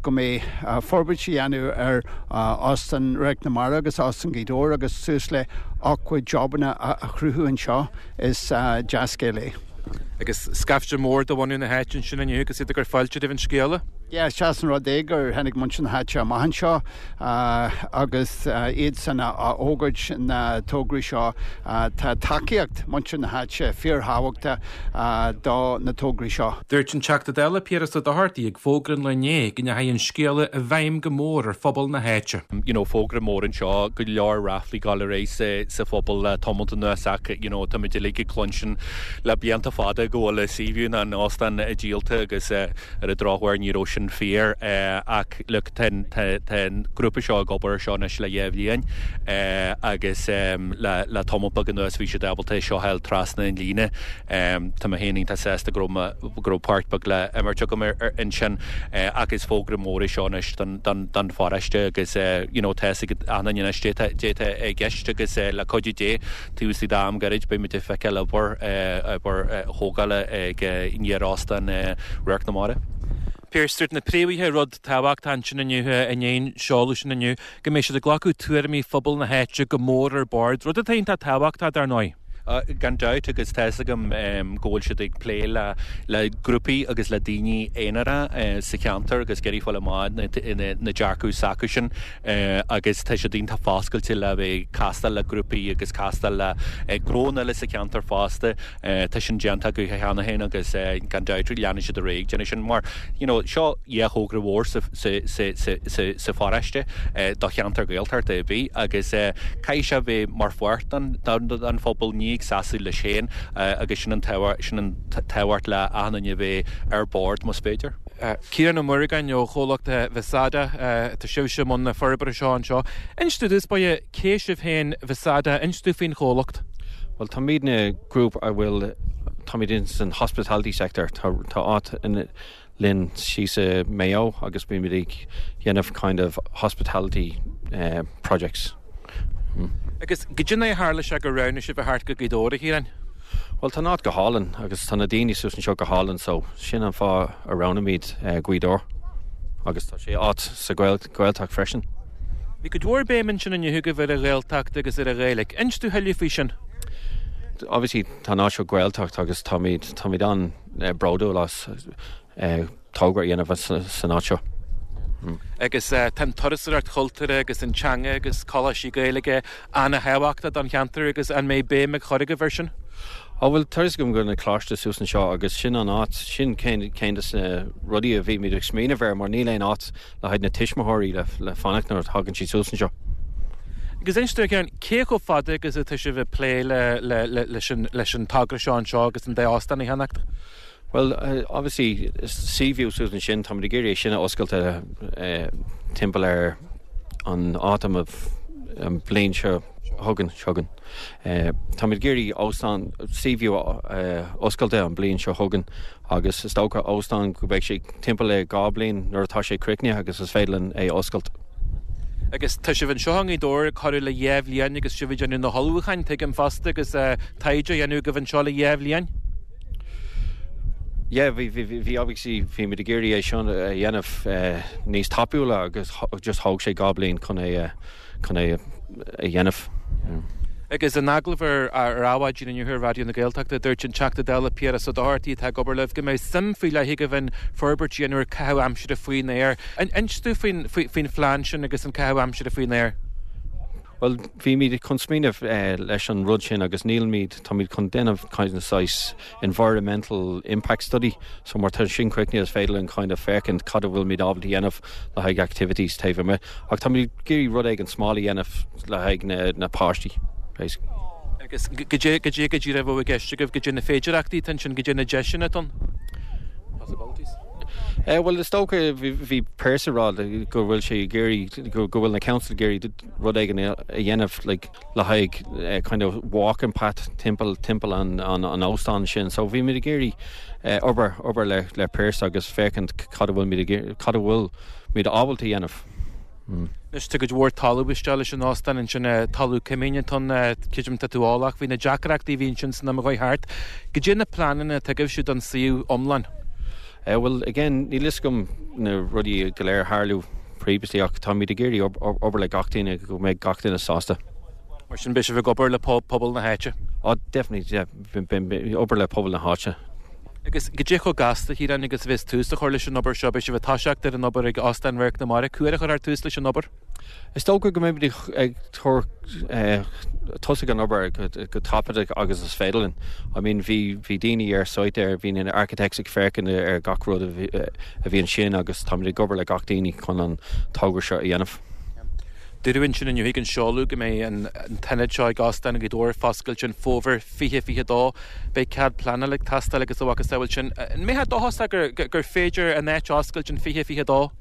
go mbeidh forbairt á dhéanamh ar Óstán Radharc na Mara agus Óstán Ghaoth Dobhair agus suas le 80 jobanna a chruthú anseo. Is dea-scéal é. Agus scaifte mór de bhunadh na háite ansin inniu agus iad ag cur fáilte roimh an scéala. Yeah, is deas an rud é gur tháinig muintir na háite amach anseo agus iadsan a fhógairt na tograí seo. Tá tacaíocht muintir na háite fíorthábhachtach do na tograí seo. Dúirt an Teachta Dála Piaras Ó Dochartaigh ag fógra an lae inné go ndeachaigh an scéala i bhfeidhm go mór ar phobal na háite. You know, fógra mór anseo, go leor ráflaí ag dul ar aghaidh sa sa phobal le tamalt anuas ach you know, táimid uilig ag cluinstin le blianta fada go bhfuil suíomh an óstáin díolta agus eh, Ar an drochuair ní raibh sin fíor ach look tá an grúpa seo ag obair ar seo anois le dhá bhliain agus le tamall beag anuas bhí siad ábalta é seo a fháil trasna an líne. Tá mé féin iontach sásta go raibh go raibh páirt beag le imirt agam ansin ach is fógra mór é seo anois don pharóiste agus you know tá fhios ag achan duine anois caidé atá i gceist agus le cuidiú Dé Taobh istigh d'am gairid beidh muid ag feiceáil obair, obair thógála ag iar-óstán Radharc na Mara. Pearse, dúirt na príomhaithe rud tábhachtach ansin inniu, i ndiaidh an seoladh sin inniu, go mbeidh siad ag glacadh tuairimí phobal na háite go mór ar bord, rud atá iontach tábhachtach, dar ndóigh. Gan dabht, agus tá fhios agam go bhfuil siad ag plé le le grúpaí agus le daoine aonara sa cheantar agus ag iarraidh fáil amach na dearcadh s'acusan. agus tá siad iontach foscailte le bheith ag castáil le grúpaí agus castáil le gnónna eile sa cheantar fosta. Tá sin déanta acu cheana féin agus gan dabht leanfaidh siad ar aghaidh ag déanamh sin mar you know seo dhá thogra mhór sa sa sa sa sa pharóiste do cheantar Gaeltachta ar bith agus caithfidh sé bheith mar pháirt den den phobal ní ag seasamh leis féin agus sin an sin an tábhacht le achan duine a bheith ar bord más féidir. Ciarán Ó Muireagáin ó chomhlacht Vasada, tá sibhse i mbun na forbartha seo anseo. Inis dúinn i dtús báire cé sibh féin Vasada, inis dúinn faoin chomhlacht. Bhuel táimidne grúpa a bhfuil, táimid in san hospitality sector, tá áit linn síos i Maigh Eo agus bímid ag dhéanamh kind of hospitality projects. Agus goidé a tharla sé gur roghnaigh sibh a theacht go Gaoth Dobhair, a Chiaráin? Bhuel tá an áit go hálainn agus tá na daoine suas anseo go hálainn so sin an fáth a roghnaímid Gaoth Dobhair agus tá sé áit sa Ghaeltacht freisin. Bhí cuid mhór béim ansin inniu agaibh ar an Ghaeltacht agus ar an Ghaeilge. Inis dúinn tuilleadh faoi sin. Obviously tá an áit seo Gaeltacht agus táimid táimid an-bhródúil as togra a dhéanamh san áit seo. Agus tá an turasóireacht chultúrtha agus an teanga agus coláistí Gaeilge an-thábhachtach don cheantar agus an mbeidh béim á cur agaibh air sin? Á bhuel, tá fhios agam go bhfuil na coláiste suas anseo agus sin an áit, sin ceann de na rudaí a bhímid ag smaoineamh air mar níl aon áit le haghaidh na tuismitheoirí le fanacht nuair a thagann siad suas anseo. Agus inis dúinn, a Chiaráin, cé chomh fada agus atá sibh ag plé leis an togra seo anseo agus an dá óstán a cheannacht? Bhuel, obviously, Seaview suas ansin, táimid ag iarraidh é sin a oscailt timpeall ar an autumn of an bhliain seo chugainn, chugainn. Táimid ag iarraidh óstán Seaview a oscailt an bhliain seo chugainn agus is dócha óstán go mbeidh sé timpeall le 2 bliain nuair atá sé críochnaithe agus is féidir linn é a oscailt. Agus tá sibh anseo i nGaoth Dobhair ag corradh le 2 bhliain agus sibh ag déanamh na hullmhúcháin, tuigim fosta, agus taighde á dhéanamh agaibh anseo le 2 bhliain. Yeah, bhí, bhí, bhí, obviously, bhí muid ag iarraidh é seo a dhéanamh níos tapúla agus just thóg sé 2 bliain chun é, chun é a dhéanamh. Agus in agallamh ar ar Adhmhaidin inniu ar Raidió na Gaeltachta, dúirt an Teachta Dála Piaras Ó Dochartaigh atá ag obair libh go mbeidh suim faoi leith agaibh in forbairt a dhéanamh ar caitheamh aimsire faoin aer. Inis dúinn faoin, faoin phlean sin agus an caitheamh aimsire faoin aer. Bhuel, bhímid chun smaoineamh leis an rud sin agus nílimid, táimid chun déanamh kind of saghas environmental impact study, so mar tá sin críochnaithe is féidir linn kind of féachaint cad a bhfuilimid ábalta a dhéanamh le haghaidh activities taobh amuigh. Ach táimid ag iarraidh rud éigin small a dhéanamh le haghaidh na, na páistí, basically. Agus goidé, goidé go díreach a bheadh i gceist agaibh, goidé na féidireachtaí atá ansin, goidé na deiseanna atá ann? Possibilities. Bhuel, is dócha, bhí Pearse ag rá go bhfuil sé ag iarraidh, go bhfuil na council ag iarraidh rud éigin a dhéanamh like, le haghaidh kind of walking path timpeall, timpeall an, an, an óstán sin. So bhí muid ag iarraidh obair, obair le, le Pearse agus féachaint cad a bhfuil muid ag, cad a bhfuil muid ábalta a dhéanamh. Anois tá cuid mhór talamh isteach leis an óstán ansin, talamh coimín atá ann, creidim tá tú eolach faoi na deacrachtaí a bhí ansin san am a chuaigh thart. Goidé na pleananna atá agaibhse don suíomh iomlán? Bhuel, again, níl fhios agam na rudaí go léir a tharlú previously ach táimid ag iarraidh obair le gach duine go mbeidh gach duine sásta. Mar sin beidh sibh ag obair le pobal na háite? Oh, definitely, yeah, obair le pobal na háite. Agus goidé chomh gasta, a Chiaráin, agus a bheas tús á chur leis an obair seo? Beidh sibh ag toiseacht ar an obair ag Óstán Radharc na Mara. Cá huair a chuirfear tús leis an obair? Is dócha go mbeimid ag tosaigh an obair go tapaidh agus is féidir linn. I mean bhí bhí daoine ar site ar, bhí na architects ag féachaint ar gach rud a bhí ansin agus táimid ag obair le gach daoine chun an togra seo a dhéanamh. Dúradh ansin inniu ag an seoladh go mbeidh an t-ionad seo ag Óstán Ghaoth Dobhair foscailte an fómhar 2022. Beidh cead pleanála ag teastáil agus a mhacasamhail sin. An mbeifeá dóchasach gur féidir an áit a oscailt in 2022?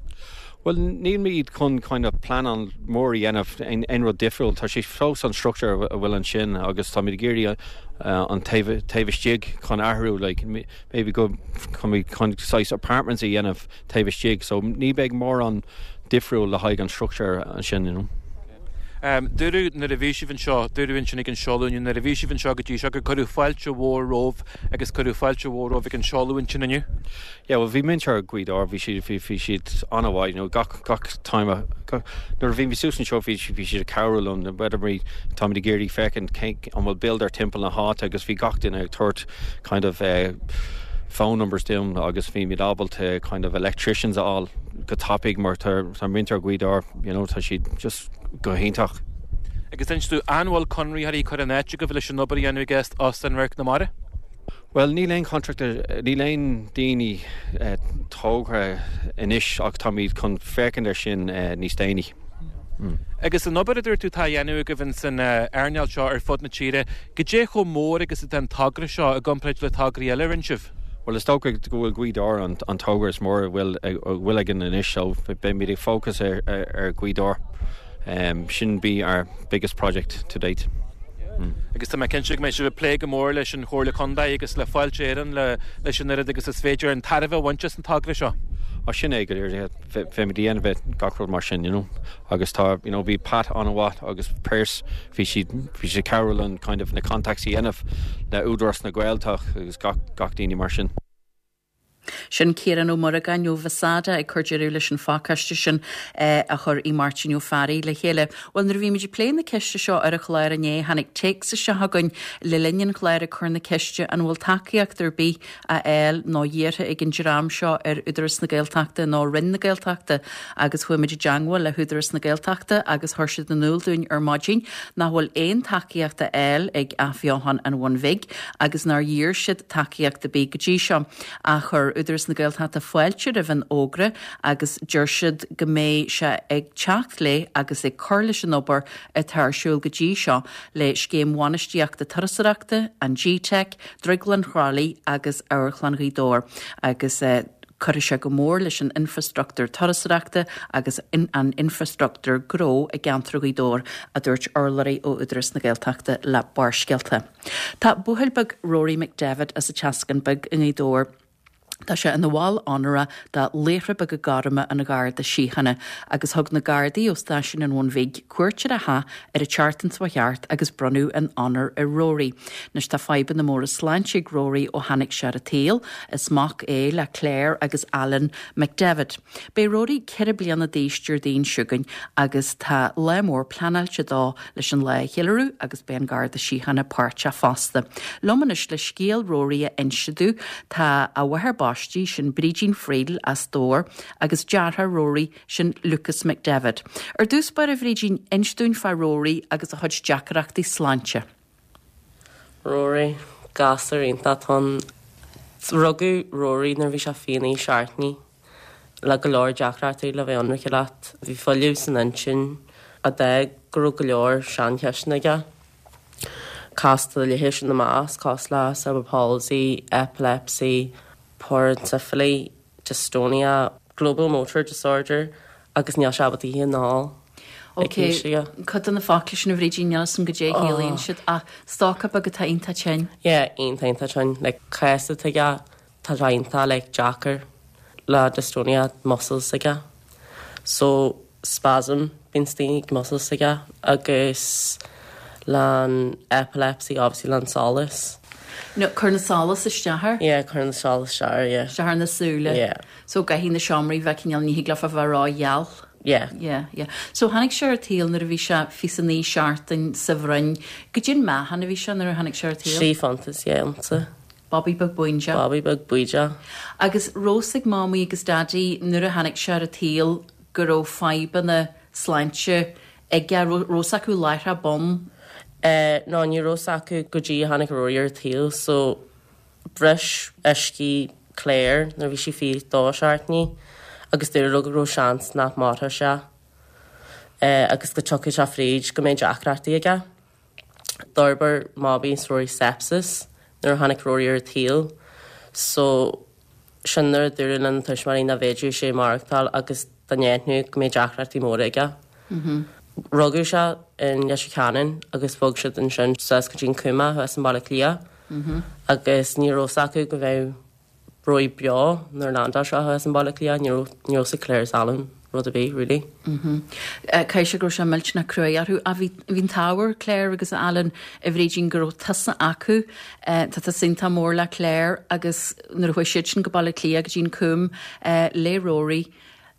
Bhuel, nílimid chun kind of pleanáil mór a dhéanamh, aon rud difriúil. Tá sé fós an structure a bhfuil ansin agus táimid ag iarraidh an taobh taobh istigh chun athrú, like maybe go chun saghas apartments a dhéanamh taobh istigh. So ní beidh mórán difriúil le haghaidh an structure ansin, you know. Dúradh nuair a bhí sibh anseo, dúradh ansin ag an seoladh inniu, nuair a bhí sibh anseo go dtí seo gur cuireadh fáilte mhór romhaibh agus cuireadh fáilte mhór romhaibh ag an seoladh ansin inniu. Yeah, bhuel bhí muintir Ghaoth Dobhair, bhí siad, bhí, bhí siad an-mhaith, you know, gach, gach time a, gach, nuair a bhí mé suas anseo bhí, bhí siad ag cabhrú liom, whether we, táimid ag iarraidh féachaint cén, an bhfuil builder timpeall na háite agus bhí gach duine ag tabhairt kind of eh, phone numbers dúinn agus bhí muid ábalta kind of electricians a fháil go tapaidh mar tá, tá muintir Ghaoth Dobhair, you know, tá siad just go hiontach. Agus inis dúinn, an bhfuil conraitheoirí curtha in áit agaibh leis an obair a dhéanamh ag Óstán Radharc na Mara? Bhuel, níl aon contractor, níl aon daoine tógtha anois ach táimid chun féachaint ar sin níos déanaí. Agus an obair a dúirt tú atá á dhéanamh agaibh ins an earnáil seo ar fud na tíre, goidé chomh mór agus atá an togra seo i gcomparáid le tograí eile a rinne sibh? Bhuel, is dócha go bhfuil Gaoth Dobhair an togra is mór a bhfuil againn anois so beimid ag focus ar Ghaoth Dobhair. Sin be our biggest project to date. Agus tá mé cinnte go mbeidh sibh ag plé go mór leis an Chomhairle Contae agus le Fáilte Éireann leis an oiread agus is féidir an tairbhe a bhaint as an togra seo. Ach sin é go léir, bheimid ag déanamh gach rud mar sin, you know. Agus tá, you know, bhí Pat an-mhaith agus Pearse, bhí siad, bhí siad ag cabhrú linn kind of na contacts a dhéanamh le Údarás na Gaeltachta agus gach, gach daoine mar sin. Sin Ciarán Ó Muireagáin ó Mhasada ag cur deireadh leis an phacáiste sin a chuir Aodh Máirtín Ó Fearraigh le chéile. Bhuel, nuair a bhí muid ag plé na ceiste seo ar an chlár inné, tháinig téacs isteach chugainn le linn an chláir ag cur na ceiste an bhfuil tacaíocht ar bith á fháil nó iarrtha ag an dream seo ar Údarás na Gaeltachta nó Roinn na Gaeltachta agus chuaigh muid i dteangmháil le hÚdarás na Gaeltachta agus chuir siad in iúl dúinn ar maidin nach bhfuil aon tacaíocht á fháil ag Athbheochan an Bhun Bhig agus nár iarr siad tacaíocht ar bith go dtí seo. Ach chuir Údarás na Gaeltachta fáilte roimh an fhógra agus deir siad go mbeidh sé ag teacht le agus ag cur leis an obair atá ar siúl go dtí seo le Scéim Bhainistíochta Turasóireachta, an GTeic, Drioglann Thrá Lí agus Amharclann Ghaoth Dobhair agus cuirfidh sé go mór leis an infreastruchtúr turasóireachta agus an infreastruchtúr gnó i gceantar Ghaoth Dobhair, a dúirt urlabhraí ó Údarás na Gaeltachta le Barrscéalta. Tá buachaill beag Rory McDevitt as an Teascán Beag i nGaoth Dobhair, Tá sé ina bhall onóra de Laochra Beaga Gorma an Gharda Síochána agus thug na Gardaí ó Stáisiún an Bhun Bhig cuairt ar a theach ar an tseachtain seo thart agus bronnadh an onóir ar Rory. Anois tá fadhbanna móra sláinte ag Rory ó tháinig sé ar an tsaol. Is mac é le Claire agus Alan McDevitt. Beidh Rory 4 bliana d'aois Déardaoin seo chugainn agus tá lá mór pleanáilte dó leis an lá a cheiliúradh agus beidh an Garda Síochána páirteach fosta. Liom anois le scéal Rory a inse domh tá a mháthair baistí, sin Brídín Friel as Dobhar, agus deartháir Rory, sin Lucas McDevitt. Ar dtús báire, a Bhrídín, inis dúinn fá Rory agus a chuid deacrachtaí sláinte. Rory, Gasúr iontach atá ann. Rugadh Rory nuair a bhí sé 29 seachtainí. Le go leor deacrachtaí le bheith ionraice leat. Bhí fuileamh san intinn a d'fhág go raibh go leor saincheisteanna aige. Cosúil le leithéis ina measc, cosúil le cerebral palsy, epilepsy, porencephaly, dystonia, global motor disorder agus níl sé ábalta ithe ná ól ag haois aige. Ok, cuid de na focla sin a Bhrídín, níl 'fhios a'm goidé a chiallaíonn siad ach stócach beag atá iontach tinn. Yeah, iontach iontach tinn. Like cás atá aige Tá sé iontach like deacair le dystonia muscles aige so spasm bíonn sna muscles aige agus le an epilepsy obviously le an solas. No, cuireann an solas isteach air? Yeah, cuireann an solas isteach air, yeah. Isteach ar na súile? Yeah. So gcaithfidh na seomraí bheith cineál, ní thig leofa bheith ró-gheal? Yeah. Yeah, yeah. So tháinig sé ar an tsaol nuair a bhí sé 29 seachtain sa bhroinn. Goidé an meáchan a bhí sé nuair a tháinig sé ar an tsaol? 3 phunt is 2 unsa. Babaí beag baoideach. Babaí beag baoideach. Agus raibh 's ag Mamaí agus Daidí nuair a tháinig sé ar an tsaol go raibh fadhbanna sláinte aige, raibh 's acu láithreach bonn? Eh no ní raibh 's acu go dtí a tháinig Rory ar an tsaol so bhris uiscí Claire nuair a bhí sí 22 seachtainí agus dúradh leo go raibh seans nach mairfeadh sé eh agus go dtiocfadh sé fríd go mbeidh deacrachtaí aige. D'fhorbair Mamaí is Rory sepsis nuair a tháinig Rory ar an tsaol so sin nuair a dúradh lena tuismitheoirí nach bhféadfadh sé maireachtáil agus dá n-aithneodh go mbeadh deacrachtaí móra aige. Rugadh sé i Leitir Ceanainn agus bhog siad ansin suas go dtí an Cúm thuas i mBaile Átha Cliath agus ní raibh 's acu go mbeadh Rory beo nuair a landáil sé thuas i mBaile Átha Cliath, ní raibh ní raibh 's ag Claire is Alan rud ar bith, really. Caithfidh sé go raibh sé millteanach cruaidh orthu. Ach bhí bhí an t-ádh ar Claire agus Alan, a Bhrídín, go raibh tusa acu. Tá tusa iontach mór le Claire agus nuair a chuaigh siad sin go Baile Átha Cliath go dtí an Cúm le Rory,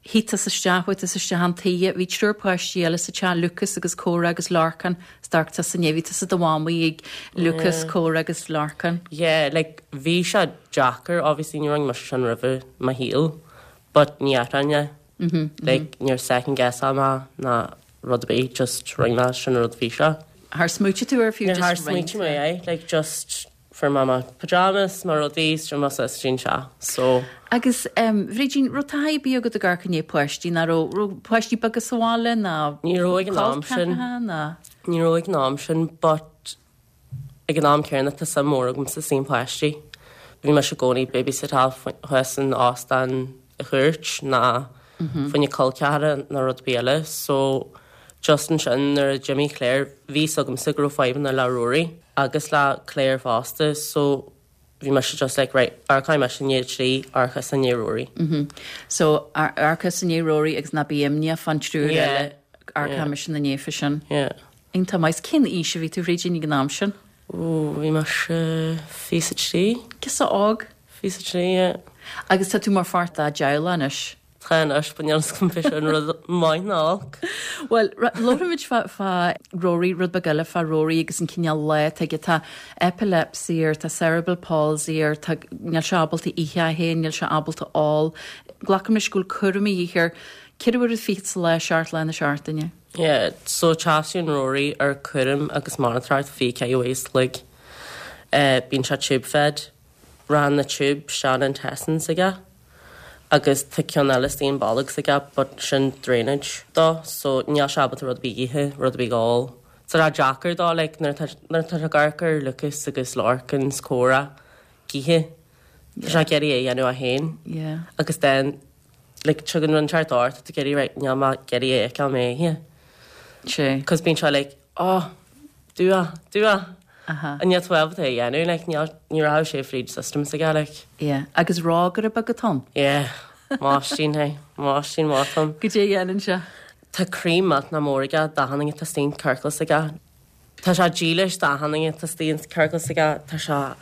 Shuigh tusa isteach, chuaigh tusa isteach chun toighe, bhí triúr páistí eile sa teach, Lucas agus Córa agus Lorcán, is d'amharc tusa inné, bhí tusa i do mhamaí ag Lucas, Córa agus Lorcán. Yeah, like bhí sé deacair, obviously ní rinne mise sin roimhe i mo shaol, but ní athróinn é. Like níor second guess-áil mé ná rud ar bith, just rinne mé sin an rud a bhí sé. Char smaoitigh tú air fiú, just rinne tú. Char smaoitigh mé air, like just Fuair mé mo pyjamas, mo rudaí, is d'imigh mé suas go dtí an teach. So. Agus, em, Bhrídín, raibh taithí ar bith agat ag amharc i ndiaidh páistí, ná raibh, raibh páistí beaga sa bhaile, ná Ní raibh ag an am sin. col ceathracha, ná? Ní raibh ag an am sin, but ag an am céanna tá suim mhór agamsa sna páistí. Bhí mise i gcónaí babysitteáil thuas in óstán a chúirt ná fá choinne col ceathracha ná rud ar bith eile so just ansin nuair a d'imigh Claire bhí 'fhios agamsa go raibh fadhbanna le Rory agus le Claire fosta so. Bhí mise just like right, amharcfaidh mise i ndiaidh a 3, amharc tusa i ndiaidh Rory. Mhm. So amharc tusa i ndiaidh Rory agus ná bí imníoch fán triúr eile, amharcfaidh mise ina ndiaidh fá sin. Yeah. Iontach maith. Cén aois a bhí tú, Bhrídín, ag an am sin? Ooh, bhí mise 23. Girseach óg. 23, yeah. Agus tá tú mar pháirt dá dteaghlach anois. Tá anois, but níl 'fhios agam an é sin rud maith nó olc. Bhuel, labhraímid fá, fá Rory, rud beag eile fá Rory agus an cineál lá atá aige. Tá epilepsy air, tá cerebral palsy air, tá, níl sé ábalta ithe é féin, níl sé ábalta ól. Glacaim leis go bhfuil cúram a dhíth air ceithre huaire fichead sa lá, seacht lá na seachtaine. Yeah, so teastaíonn Rory ar cúram agus monatóireacht 24 uair an chloig. Bíonn sé tube fed. Raghann na tube isteach in intestines aige. agus tá ceann eile istigh in bolg s'aige but sin drainage dó so níl sé ábalta rud ar bith a ithe, rud ar bith a ól. So tá sé deacair dó like nuair atá nuair atá sé ag amharc ar Lucas agus Lorcan 's comhrá ag ithe tá sé ag iarraidh é a dhéanamh é féin Yeah. agus then like tugann rud inteacht ort tá tú ag iarraidh right níl mé ag iarraidh é a fheiceáil mé ithe. Sé. Cos bíonn sé like oh do é do é. Aha. And níl tú ábalta é a dhéanamh, like, níl, ní raibh sé fríd system s'aige, like. Yeah. Agus rógaire beag atá ann? Yeah. Máistín é. Máistín maith atá ann. Goidé a dhéanann sé? Tá croí millteanach mór aige d'achan duine atá istigh in ciorcal s'aige. Tá sé dílis d'achan duine atá istigh in ciorcal s'aige. Tá sé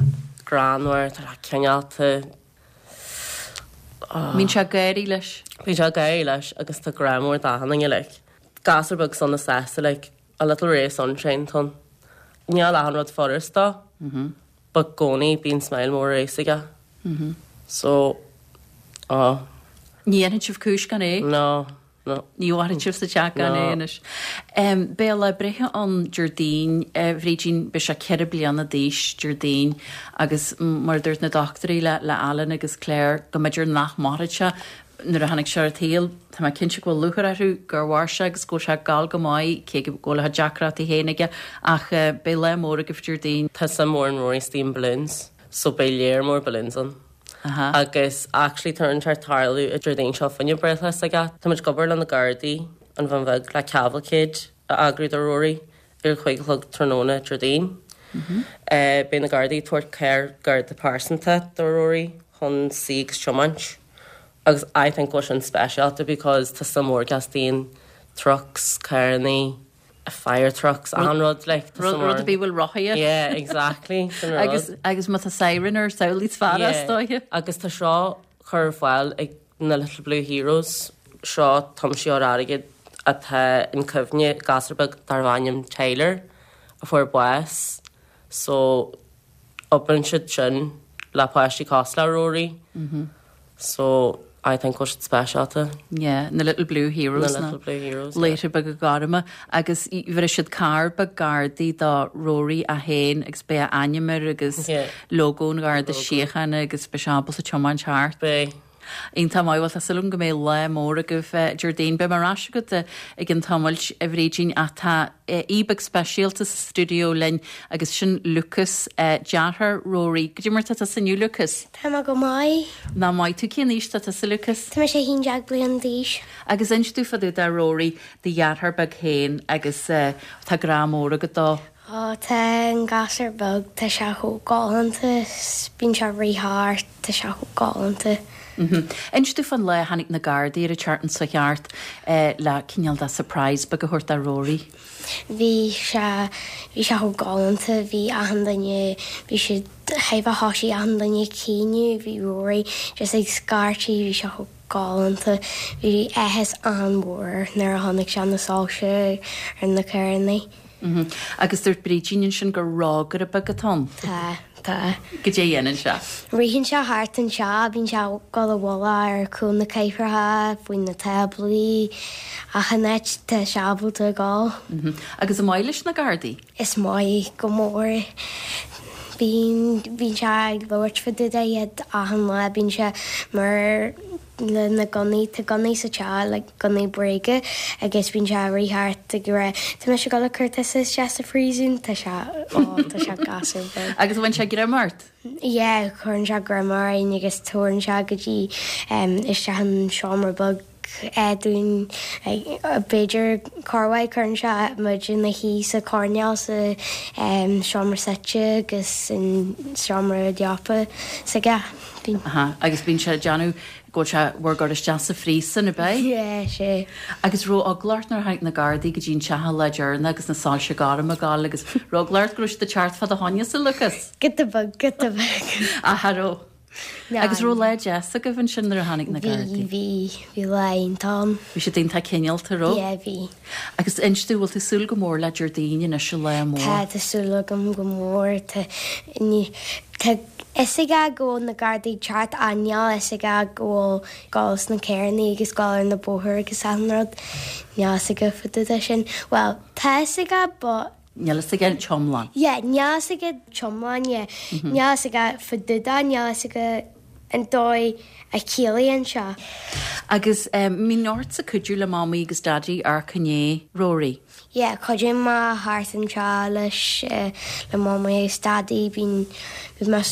greannmhar, tá sé cineálta. Bíonn sé ag gáirí leis. Bíonn sé ag gáirí leis agus tá grá mór d'achan duine, like. Gasúr beag sona sásta, like. A little ray of sunshine atá ann. Níl achan rud furast dó but i gcónaí bíonn smile mór ar a fhéas aige. So, oh. Ní dhéanfaidh sibh cúis gan é? No, no. Ní mhairfidh sibh sa teach gan é anois. Beidh a lá breithe ann Déardaoin, a Bhrídín, beidh sé 4 bliana d'aois Déardaoin agus mar a dúirt na dochtúirí le Alan agus Claire go mb'fhéidir nach mairfeadh sé Nuair a tháinig sé ar an tsaol, tá mé cinnte go bhfuil lúcháir orthu gur mhair sé agus go bhfuil sé ag gabháil go maith, cé go bhfuil a chuid deacrachtaí féin aige, ach beidh lá mór agaibh Déardaoin. Tá suim mhór in Rory istigh in balloons, so beidh léar mór balloons ann. Agus actually tá rud inteacht ag tarlú an Déardaoin seo fá choinne breithlá s'aige. Tá muid ag obair le na Gardaí, an Bhun Bheag, le cavalcade a eagrú do Rory ar a 5 a chlog tráthnóna Déardaoin. Beidh na Gardaí ag tabhairt carr Garda pearsanta do Rory chun suí agus tiomáint. Agus I think go bhfuil sin speisialta because tá suim mhór aige istigh in trucks, carrannaí, fire trucks, achan rud like tá suim mhór. Rud ar bith a bhfuil rothaí air. Yeah, exactly, sin an rud. Agus, agus má tá siren air, samhlaigh is fearr as dóiche. Yeah, agus tá seo curtha ar fáil ag na Little Blue Heroes, seo tiomsaitheoir airgid atá in cuimhne gasúr beag darbh ainm Tyler a fuair bás so Oibríonn siad sin le páistí cosúil le Rory so I think go bhfuil siad speisialta. Yeah, na Little Blue Heroes. Na Little Blue Heroes, yeah. Laochra beaga gorma agus bhéarfaidh siad carr beag Gardaí do Rory é féin agus beidh a ainm air agus logo an Gharda Síochána agus beidh sé ábalta tiomáint thart. Beidh. Iontach maith. Bhuel, tá súil agam go mbeidh lá mór agaibh Déardaoin. Beidh mé ar ais agat i gcionn tamaill, a Bhrídín, ach tá aoi beag speisialta sa stiúideo linn agus sin Lucas, deartháir Rory. Goidé mar tá tusa inniu, Lucas? Tá mé go maith. Nach maith tú. Cén aois tá tusa, Lucas? Tá mise 11 bliain d'aois. Agus inis domh fá dtaobh de Rory, do dheartháir beag féin, agus tá grá mór agat dó. Ó tá an gasúr beag, tá sé chomh galánta, bíonn sé ag rith thart, tá sé chomh galánta. Inis domh fán lá a tháinig na Gardaí ar an tseachtain seo thart le cineál de surprise beag a thabhairt do Rory. Bhí sé, bhí sé chomh galánta, bhí achan duine, bhí siad, thaobh a thoisigh achan duine ag caoineadh, bhí Rory just ag scairtigh, bhí sé chomh galánta, bhí áthas an-mhór nuair a chonaic sé na soilse ar na carrannaí. Agus dúirt Brídín ansin gur rógaire beag atá ann. Tá, tá. Goidé a dhéanann sé? Ritheann sé thart anseo, bíonn sé ag dul i bhfolach ar chúl na cathaoireacha, faoi na táblaí, achan áit tá sé ábalta a dhul. Agus an maith leis na Gardaí? Is maith go mór. Bíonn, bíonn sé ag labhairt fá dtaobh de iad achan lá, bíonn sé mar. le na gunnaí, tá gunnaí sa teach, like gunnaí bréige agus bíonn sé ag rith thart ag rá tá mise ag dul ag cur tusa isteach sa phríosún, tá sé, ó tá sé gasúr beag. Agus an bhfuil sé ag greim ort? Yeah, cuireann sé greim orainn agus tabharann sé go dtí isteach an seomra beag. dúinn b'fhéidir corruair cuireann sé muid ina shuí sa choirnéal sa seomra suite agus san seomra leapa s'aige. Bíonn. Aha, agus bíonn sé ag déanamh go bhfuil sé bhur gcur isteach sa phríosún, ab ea? Yeah, sé. Agus raibh eagla ort nuair a tháinig na Gardaí go dtí an teach an lá deireanach agus na soilse gorm ag gabháil agus raibh eagla ort go raibh siad ag teacht fá do choinne-sa, Lucas? Giota beag, giota beag. Aha, raibh. Agus raibh lá deas agaibh ansin nuair a tháinig na Gardaí? Bhí, bhí, bhí lá iontach ann. Bhí siad iontach cineálta, raibh? Yeah, bhí. Agus inis domh, bhfuil tú súil go mór le Déardaoin anois, an lá mór? Tá, tá súil agam go mór. Tá, ní, tá fhios aige go bhfuil na Gardaí ag teacht ach níl fhios aige go bhfuil gabháil sna carrannaí agus gabháil ar na bóthair agus achan rud. Níl fhios aige fá dtaobh de sin. Bhuel, tá fhios aige but. Níl fhios aige an t-iomlán. Yeah, níl fhios aige t-iomlán, yeah. Níl fhios aige fá dtaobh de, níl fhios aige an dóigh a chiallaíonn sé. Agus mbíonn ortsa cuidiú le Mamaí agus Daidí amharc i ndiaidh Rory? Yeah, cuidím mé thart anseo leis le Mamaí agus Daidí, bíonn bíonn mé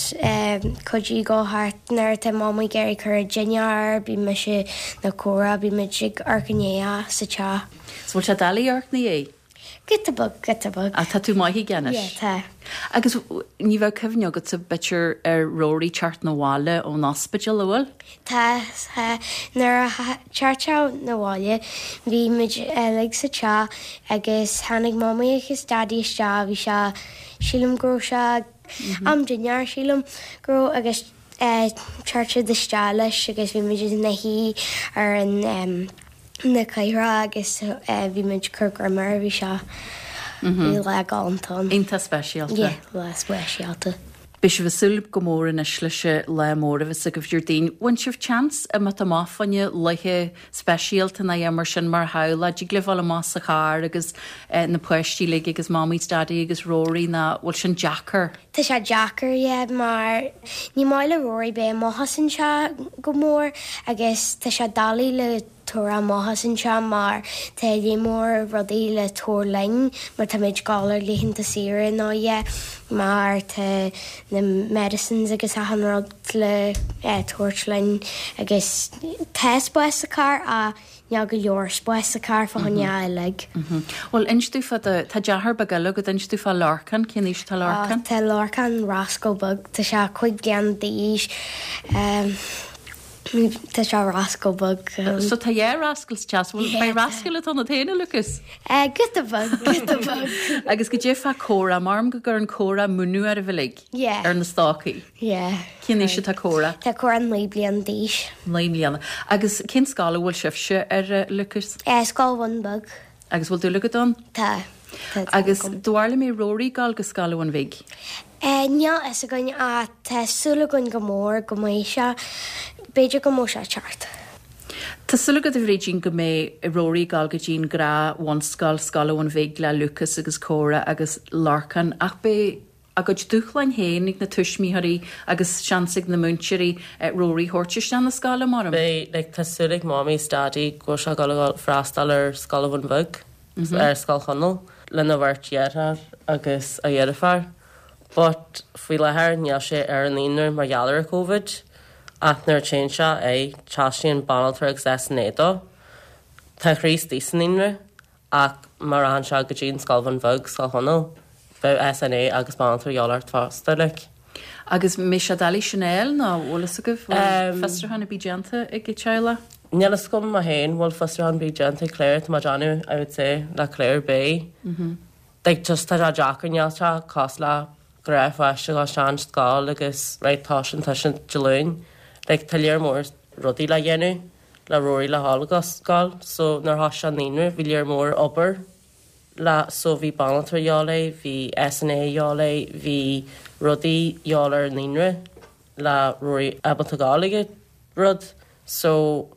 cuidiú go thart nuair atá Mamaí ag iarraidh cur dinnéar, bíonn mise nó Córa, bíonn muid ag amharc i ndiaidh sa teach. So bhfuil sé doiligh amharc ina dhiaidh? Giota beag, giota beag. Ach tá tú maith aige anois. Yeah, tá. Agus ní bheadh cuimhne agatsa b'fhéidir ar Rory teacht 'na bhaile ón ospidéal, an bhfuil? Tá, tá. Nuair a teacht sé 'na bhaile bhí muid uilig sa teach agus tháinig Mamaí agus Daidí isteach, bhí sé, sílim go raibh sé am dinnéar sílim go raibh agus teacht siad isteach leis agus bhí muid ina shuí ar an na cathaoireacha agus bhí muid ag cur greim air, bhí sé, bhí lá galánta ann. Iontach speisialta. Yeah, lá speisialta. Beidh sibh ag súil go mór anois leis an lá mór a bheas agaibh Déardaoin. Bhain sibh chance imeacht amach fá choinne laethe speisialta nó é mar sin mar theaghlach? Dtig libh dul amach sa charr agus na páistí uilig agus Mamaí 's Daidí agus Rory nó bhfuil sin deacair? Tá sé deacair, yeah, mar ní maith le Rory bheith amuigh as an teach go mór agus tá sé doiligh le tabhairt amach as an teach mar tá lear mór rudaí le tabhairt linn mar táimid ag dul ar laethanta saoire nó yeah mar tá na medicines agus achan rud le tabhairt linn agus tá spás sa charr ach níl go leor spás sa charr fá choinne uilig. Bhuel inis domh fá do, tá deartháir beag eile agat, inis domh fá Lorcán, cén aois atá Lorcán? Tá Lorcán rascal beag, tá sé 5 bliana d'aois. Tá sé rascal beag. So tá dhá rascal sa teach. Bhuel, beidh rascal atá ionat féin, a Lucas? Giota beag, giota beag. Agus goidé fá Córa, maram go gcuireann Córa múineadh oraibh uilig? Yeah. Ar na stocaí? Yeah. Cén aois atá Córa? Tá Córa 9 bliana d'aois. 9 mbliana. Agus cén scoil a bhfuil sibhse ar, a Lucas? Scoil Bhun Bheag. Agus bhfuil dúil agat ann? Tá. Tá dúil Agus agam. do bharr le mbeidh Rory ag gabháil go Scoil Bhun Bhig? Níl fhios againn ach tá súil againn go mór go mbeidh sé. B'fhéidir go mbeidh sé ag teacht. Tá súil agat, a Bhrídín, go mbeidh Rory ag gabháil go dtí an ghnáth-bhunscoil, Scoil Bhun Bhig le Lucas agus Córa agus Lorcán ach beidh a gcuid dúshláin féin ag na tuismitheoirí agus seans ag na múinteoirí Rory a thabhairt isteach na scoile, maram. Beidh, like, tá súil ag Mamaí is Daidí go bhfuil sé ag dul a dhul freastal ar Scoil Bhun Bhig. ar Scoil Chonaill lena bheirt dheartháir agus a dheirfiúr but faoi láthair níl sé ar an naíonra mar gheall ar Covid ach nuair a téann sé é teastaíonn banaltra agus SNA dó. Tá Críost sa naíonra ach má rachann sé go dtí an Scoil Bhun Bheag, Scoil Chonaill, bheadh SNA agus banaltra a dhíobháil ort fosta like. Agus mbeidh sé doiligh sin a fháil nó bhfuil fhios agaibh, bhfuil fiosrúchán ar bith déanta ag an teaghlach? Níl fhios agam mé féin bhfuil fiosrúchán ar bith déanta ag Claire, tá mé ag déanamh I would say le Claire beidh. Like just tá sé deacair níl sé cosúil le gnáthpháiste a dhul isteach an scoil agus right tá sin tá sin Dé Luain. Like tá lear mór rudaí le dhéanamh le Rory le dhul go scoil so nuair a thosaigh sé an naíonra bhí lear mór obair le so bhí banaltra a dhíobháil air, bhí SNA a dhíobháil air, bhí rudaí a dhíobháil ar an naíonra le Rory ábalta gabháil ag an rud so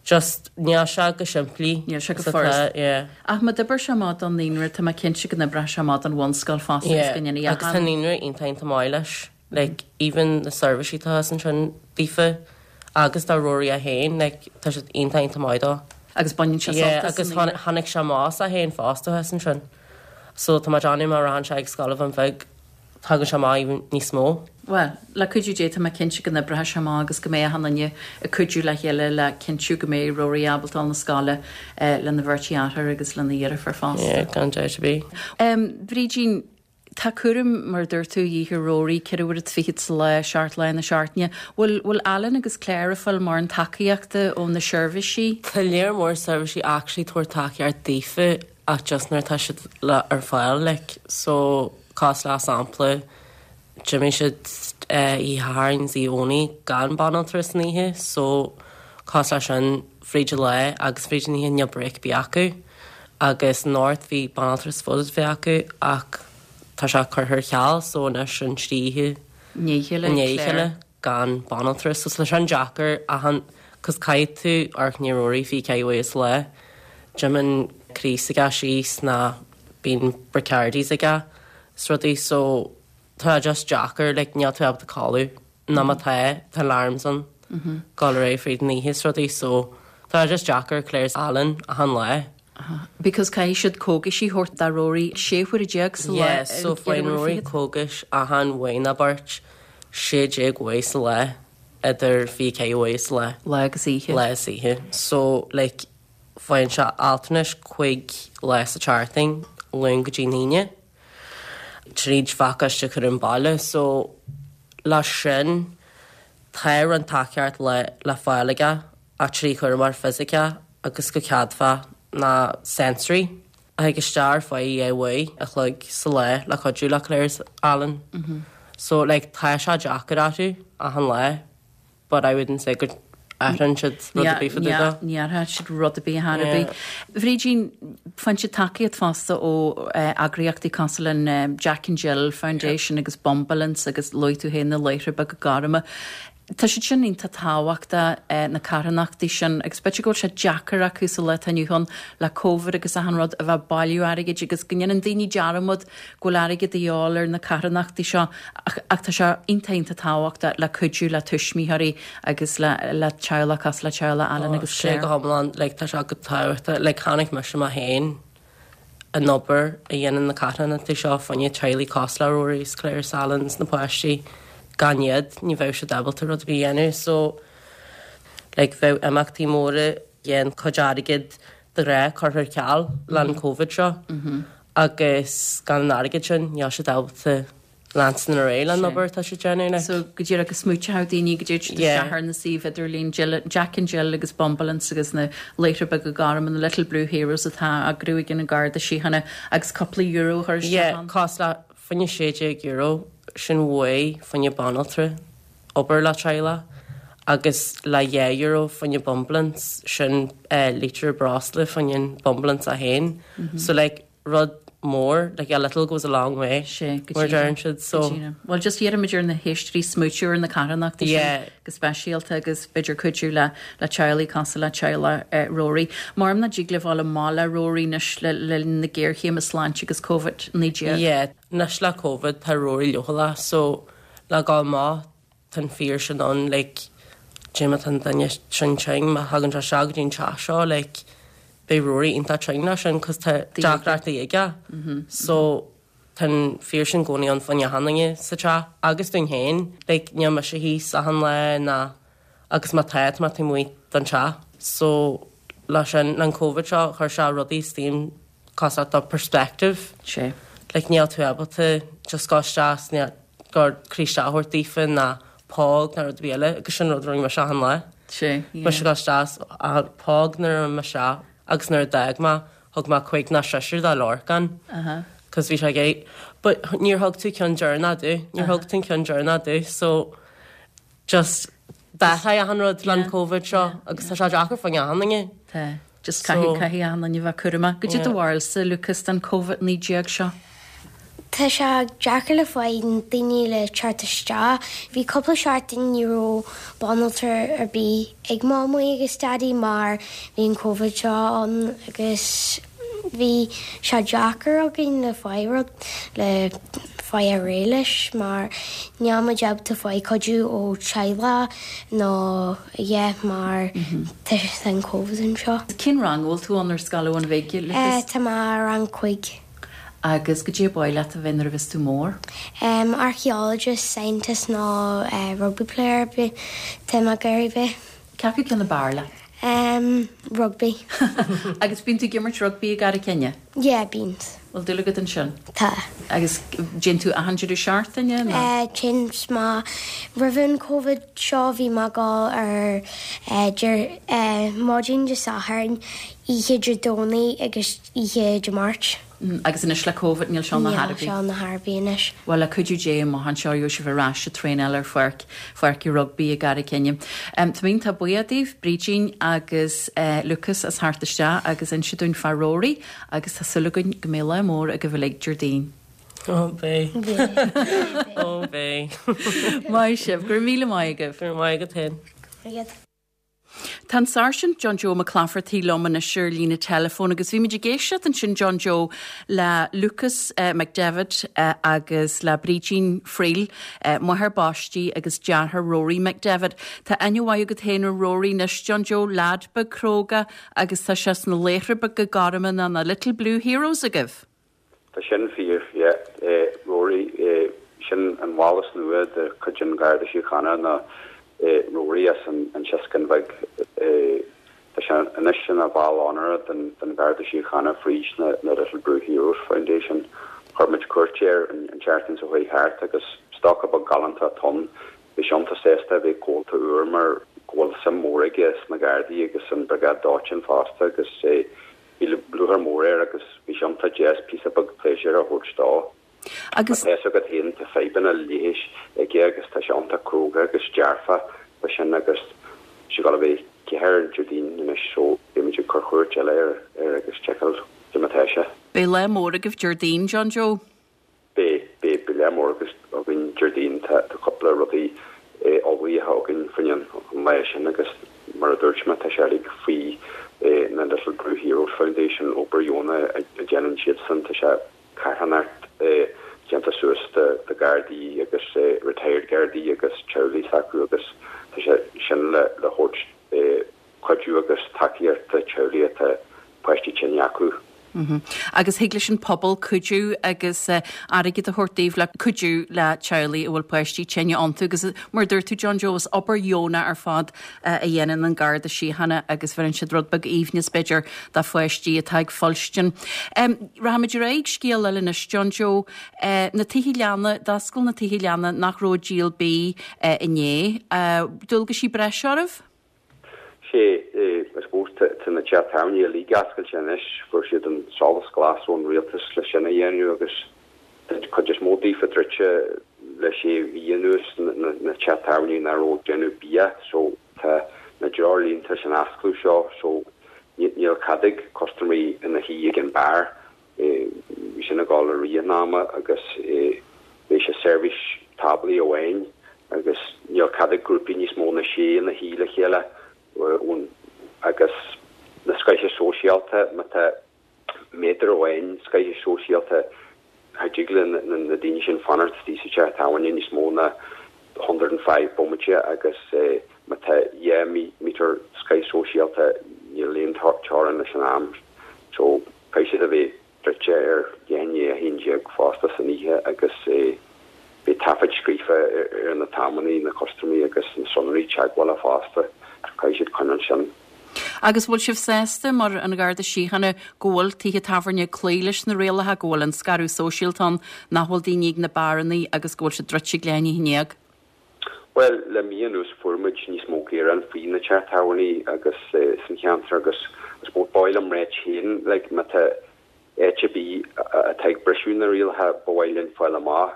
just níl sé go simplí Níl sé go furast. yeah. Ach má d'oibir sé amach don naíonra tá mé cinnte go n-oibreoidh sé amach don bhunscoil fosta agus go ndéanfaidh Yeah agus tá an naíonra iontach iontach maith leis. Like even na seirbhísí atá thíos ansin daofa agus do Rory é féin like tá siad iontach iontach maith dó. Agus baineann sé sult Yeah agus tháinig sé amach as é féin fosta thíos ansin. So tá mé ag déanamh má rachann sé ag Scoil an Bhun Bhig. Tagann sé amach even níos mó. Bhuel, le cuidiú Dé tá mé cinnte go n-oibreoidh sé amach agus go mbeidh achan duine ag cuidiú le chéile le cinntiú go mbeidh Rory ábalta dul na scoile lena bheirt dheartháir agus lena dheirfiúr fosta. Yeah, gan dabht ar bith. Brídín, tá cúram, mar a dúirt tú, a dhíth ar Rory, ceithre huaire 's fichead sa lá, seacht lá na seachtaine. Bhfuil, bhfuil Alan agus Claire ag fáil mórán tacaíochta ó na seirbhísí? Tá lear mór seirbhísí actually tabhairt tacaíocht daofa ach just nuair atá siad le ar fáil like so cosúil le sampla d'imigh siad oíche Shathairn is oíche Dhomhnaigh gan banaltra san oíche so cosúil le sin fríd an lá agus fríd an oíche níl break ar bith acu agus anocht bhí banaltra supposed a bheith acu ach tá sé curtha ar ceal so anois an trí oíche i ndiaidh a chéile gan banaltra so tá sin deacair achan cos caithfidh tú amharc i ndiaidh Rory 24 uair sa lá D'imíonn Chris aige síos ná bíonn Bricardis aige 's rudaí so tá just deacair like níl tú ábalta codladh nó má tá tá alarms ann dul ar aghaidh fríd an oíche 's rudaí so tá just deacair Claire 's Alan achan lá. Because caithfidh siad cógaisí a thabhairt do Rory 16 huaire sa lá. Yeah so faigheann Rory cógais achan uair nó beirt 16 uair sa lá idir 24 uair sa lá. Lá agus oíche. Lá is oíche so like Faigheann sé altranais 5 lá sa tseachtain, Luan go dtí an Aoine, tríd phacáiste cúram baile. So, leis sin, tá roinnt tacaíocht le le fáil aige ach trí chúramóir fisiceach agus go ceadmhach ná sensory a thig isteach ar feadh 2 uair a chloig sa lá le cuidiú le Claire is Alan. So, like, tá sé deacair orthu achan lá. but I wouldn't say go athraíonn siad rud ar bith fá dtaobh de. Ní athraíonn siad rud ar bith ar chor ar bith. Bhrídín, faigheann siad tacaíocht fosta ó eagraíochtaí cosúil le an Jack and Jill Foundation agus Bumbulance agus luaigh tú féin na Laochra Beaga Gorma. Tá siad sin iontach tábhachtach, na carthanachtaí sin, agus b'fhéidir go bhfuil sé deacair acu sa lá atá inniu ann le Covid agus achan rud a bheith ag bailiú airgid agus go ndéanann daoine dearmad go bhfuil airgead de dhíobháil ar na carthanachtaí seo ach ach tá sé iontach iontach tábhachtach le cuidiú le tuismitheoirí agus le le teaghlach cosúil le teaghlach Alan agus Claire. Sé go hiomlán like tá sé go tábhachtach like chonaic mise mé féin an obair a dhéanann na carthanachtaí seo fá choinne teaghlaigh cosúil le Rory is Claire is Alan is na páistí gan iad ní bheadh siad ábalta rud ar bith a dhéanamh so like bheadh imeachtaí móra dhéan cuid airgid de ghnáth curtha ar ceal le an Covid seo agus gan an airgead sin níl siad ábalta leanstan ar aghaidh leis an obair atá siad déanamh like. So go díreach go smaointeodh daoine go dtéid siad isteach ar na suímh idirlín Jill, Jack and Jill agus Bumbulance agus na Laochra Beaga Gorma, na Little Blue Heroes atá á eagrú ag an Garda Síochána agus cúpla euro a chur isteach Yeah, ann. cosúil le fá choinne €16 sin uair fá choinne banaltra obair le teaghlach agus le €2 fá choinne Bumbulance sin lítear breosla fá choinne an Bumbulance é féin. So like rud mór like a little goes a long way Sé, go mar deireann siad so. Go díreach. Bhuel just iarraimid ar na héisteoirí smaoitiú ar na carthanachtaí sin go speisialta agus b'fhéidir cuidiú le le teaghlaigh cosúil le teaghlach Rory. Maram nach dtig libh dul amach le Rory anois le linn na géarchéime sláinte agus Covid-19. Yeah, anois le Covid tá Rory leochaileach so le dhul amach tá an fear sin ann like cad é má tá an duine sin tinn má thagann sé isteach go dtí an teach seo like beidh Rory iontach tinn leis sin cos tá deacrachtaí aige so tá an fear sin i gcónaí ann fá choinne achan duine sa teach agus dúinn féin like níl mise thíos achan lá ná agus má tá tá mé taobh amuigh den teach so leis sin an Covid seo chuir sé rudaí steam cosúil do perspective. Sé. Like níl tú ábalta just gabháil isteach is níl gur croí isteach a thabhairt daofa ná póg ná rud ar bith eile agus sin rud a rinne mise achan lá. Sé, yeah. Mise gabháil isteach is a póg nuair a raibh mise agus nuair a d'fhág mé thug mé cuig ná seisear do Lorcán. Uh-huh. Cos bhí sé ag éirí. But níor thug tú ceann deireanach domh. Níor thug tú an ceann deireanach domh so just d'athraigh achan rud le an Covid seo agus tá sé deacair fá choinne achan duine. Tá. Just caithfidh, caithfidh achan duine bheith cúramach. Goidé do bharúilsa, Lucas, den Covid-19 seo? Tá sé deacair le fáil daoine le teacht isteach. Bhí cúpla seachtain ní raibh banaltra ar bith ag Mamaí agus Daidí mar bhí an Covid seo ann agus bhí sé deacair againn le fáil rud le fáil ar aghaidh leis mar níl muid ábalta fáil cuidiú ó teaghlach nó yeah mar tá an Covid anseo. Cén rang a bhfuil tú ann ar scoil Abhainn Bhig, Lucas? Tá mé i rang 5. Agus goidé ba mhaith leat a bheith nuair a bheas tú mór? Em, archaeologist, scientist nó rugby player tá mé ag iarraidh bheith. Cé acu ceann ab fhearr leat? Em, rugby. Agus bíonn tú ag imirt rugby i gCarraig Thine? Yeah, bíonn. Bhfuil dúil agat ansin? Tá. Agus téann tú achan deireadh seachtaine nó? Eh, téann mé, roimh an Covid seo bhí mé ag dul ar eh, deir, eh, maidin Dé Sathairn, oíche Dé Domhnaigh agus oíche Dé Máirt. Agus anois le Covid níl seo ina Níl seo ina thairbhe anois. Bhuel, le cuidiú Dé amach anseo gheobhaidh sibh ar ais ag traenáil ar pháirc, pháirc rugbaí i gCarraig Thine. Tá mé iontach buíoch daoibh, Brídín agus Lucas as theacht isteach agus inse dúinn fá Rory agus tá súil againn go mbeidh lá mór agaibh uilig Déardaoin. Ó beidh. Ó beidh. Maith sibh. Go raibh míle maith agaibh. Go raibh maith agat féin. Go raibh maith agat. Tá an Sáirsint John Joe Mac Laifeartaigh liom anois ar líne teileafóin agus bhí muid ag éisteacht ansin John Joe le Lucas McDevitt agus le Brídín Friel, máthair baistí agus deartháir Rory McDevitt. Tá aithne mhaith agat féin ar Rory anois John Joe, leaid beag cróga agus tá sé sna laochra beaga gorma nó na Little Blue Heroes agaibh. Tá sin fíor, yeah. Rory, sin an bhall is nua de chuid an Gharda Síochána ná Rory as an tSioscán Bheag. Tá sé anois ina bhall onóra den Gharda Síochána fríd na Little Blue Heroes Foundation. Chuir muid cuairt air an tseachtain seo chuaigh thart agus stócach beag galánta atá ann. Bhí sé iontach sásta a bheith comhalta úr mar go bhfuil suim mhór aige sna Gardaí agus an Briogáid Dóiteáin fosta agus Bhí lúcháir mhór air agus bhí sé iontach deas píosa beag pléisiúir a thabhairt dó. Agus. Tá a fhios agat féin, tá fadhbanna leighis aige agus tá sé iontach cróga agus dearfach fá sin agus tá sé ag dul a bheith 4 Déardaoin anois so beimid ag cur chuairt eile air agus seiceáil cé mar atá sé. Beidh lá mór agaibh Déardaoin, John Joe. Beidh, beidh, beidh lá mór againn Déardaoin, tá cúpla rudaí ullmhaithe againn fá choinne an lae sin agus mar a dúirt mé tá sé uilig faoi na Little Blue Heroes Foundation, obair dheonach a dhéanann siadsan, tá sé carthanacht déanta suas de Ghardaí agus retired Gardaí agus teaghlaigh s'acu agus tá sé sin le thabhairt cuidiú agus tacaíocht do teaghlaigh atá páistí tinne acu. Agus thig leis an pobal cuidiú agus airgead a thabhairt daoibh le cuidiú le teaghlaigh a bhfuil páistí tinne iontu agus mar a dúirt tú John Joe is obair dheonach ar fad a dhéanann an Garda Síochána agus bheireann siad rud beag aoibhneas b'fhéidir do pháistí atá ag fuilstin. Rachaimid ar aghaidh ag scéal eile anois John Joe. Na tithe leanna, d'oscail na tithe leanna nach raibh ag díol bídh inné. Dualgaisí breise oraibh? Sé, I suppose, tá na tithe tábhairne uilig oscailte anois, fuair siad an solas glas ón rialtas le sin a dhéanamh agus tá an chuid is mó daofa druidte le sé mhí anuas, na tithe tábhairne nach raibh ag déanamh bia so tá na treoirlínte san oscladh seo so níl cead ag custaiméirí ina shuí ag an beár Bhí sin ag dul i rith an ama agus beidh sé seirbhís táblaí amháin agus níl cead ag grúpaí níos mó ná sé ina shuí le chéile agus na scoitheadh sóisialta, má tá méadar amháin scoitheadh sóisialta cha dtig le na daoine sin fanacht istigh sa teach tábhairne níos mó ná 105 bomaite agus má tá 2 mítear scoitheadh sóisialta níl aon teorainn leis an am so Caithfidh siad a bheith druidte ar leath i ndiaidh 11 fosta san oíche agus beidh taifead scríofa ar na t-amannaí, na custaiméirí agus na sonraí teagmhála fosta. Caithfidh siad coinneáil sin. Agus bhfuil sibh sásta, mar an Gharda Síochána, go bhfuil tithe tábhairne ag cloí leis na rialacha, go bhfuil an scaradh sóisialta ann, nach bhfuil daoine ag na beárannaí agus go bhfuil siad druidte ag leath i ndiaidh 11? Bhuel, le mí anuas fuair muid níos mó gearán faoi na tithe tábhairne agus san cheantar agus I suppose ba mhaith liom ráit féin like má tá áit ar bith atá ag briseadh na rialacha ba mhaith linn fáil amach.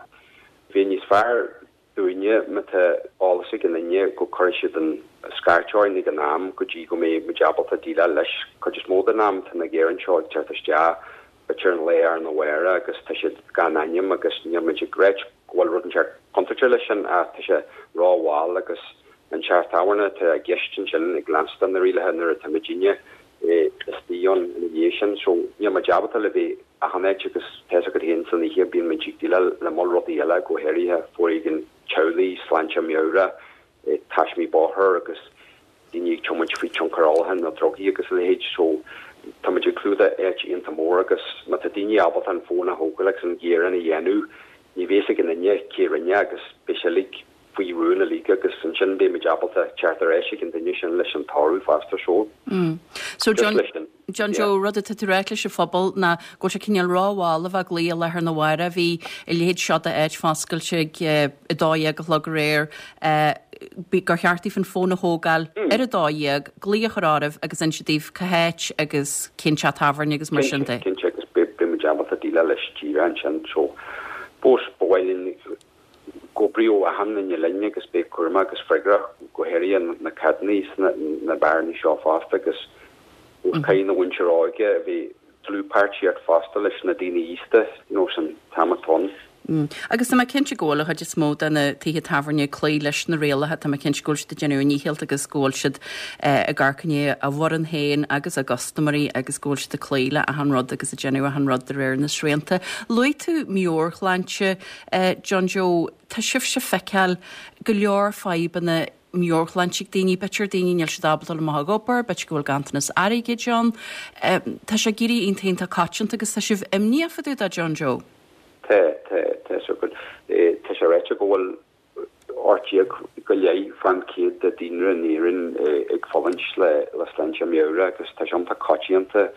Bheadh níos fearr dúinne má tá eolas ag aon duine go cuirfidh siad an scairt orainn ag an am go dtí go mbeidh muid ábalta déileáil leis. Cuid is mó den am tá na gearáin seo ag teacht isteach b'fhéidir an lá arna mhárach agus tá siad gan ainm agus níl muid ag ráit go bhfuil rud inteacht contúirteach leis sin ach tá sé rómhall agus an teach tábhairne atá i gceist ansin ag leanstan na rialacha nuair atá muidinne istigh ann ina dhiaidh sin so níl muid ábalta le bheith achan áit agus tá fhios agat féin san oíche bíonn muid ag déileáil le moll rudaí eile go háirithe foréigean teaghlaigh, sláinte meabhrach, taismí bóthair agus daoine ag tiomáint faoi tionchar ólacháin nó drugaí agus a leithéid so. Tá muid ag clúdach áit iontach mór agus má tá daoine ábalta an fón a thógáil agus an gearán a dhéanamh, ní bheidh a fhios ag aon duine cé rinne agus beidh sé uilig faoi rún uilig agus ansin beidh muid ábalta teacht ar ais ag an duine sin leis an toradh fosta so So just leis sin. John Joe, rud atá tú ráit leis an phobal ná go bhfuil sé cineál rómhall a bheith ag glaoch i láthair na huaire. Bhí a leithéid seo d'áit foscailte ag 12 a chlog aréir, gur cheart daoibh an fón a thógáil ar 12, glaoch a chur oraibh agus inse daoibh cá háit agus cén teach tábhairne agus mar sin de. Cinnte, agus beidh muid ábalta déileáil leis díreach ansin. So, fós, ba mhaith linn go n-oibreodh achan duine linn agus beidh cúramach agus freagrach, go háirithe na cadnaí sna na beáranna seo fosta agus caithfidh na mhuintir óige a bheith dlúthpháirtíocht fosta leis na daoine aosta you know san t-am atá ann. Agus tá mé cinnte go bhfuil an chuid is mó de na tithe tábhairne ag cloí leis na rialacha, tá mé cinnte go bhfuil siad ag déanamh a ndícheall agus go bhfuil siad ag amharc i ndiaidh a bhfoireann féin agus a gcustaiméirí agus go bhfuil siad ag cloí le achan rud agus ag déanamh achan rud de réir na srianta. Luaigh tú meabhairshláinte. John Joe, tá sibhse ag feiceáil go leor fadhbanna meabhairshláinte ag daoine, b'fhéidir daoine níl siad ábalta dul amach ag obair, b'fhéidir go bhfuil ganntanas airgid ann. Tá sé ag éirí iontach iontach coitianta agus tá sibh imníoch fá dtaobh de, John Joe. Tá, tá, tá so go, tá sé ráite go bhfuil 18 go leith fán chéad de daonra in Éirinn ag fulaingt le sláinte meabhrach agus tá sé iontach coitianta.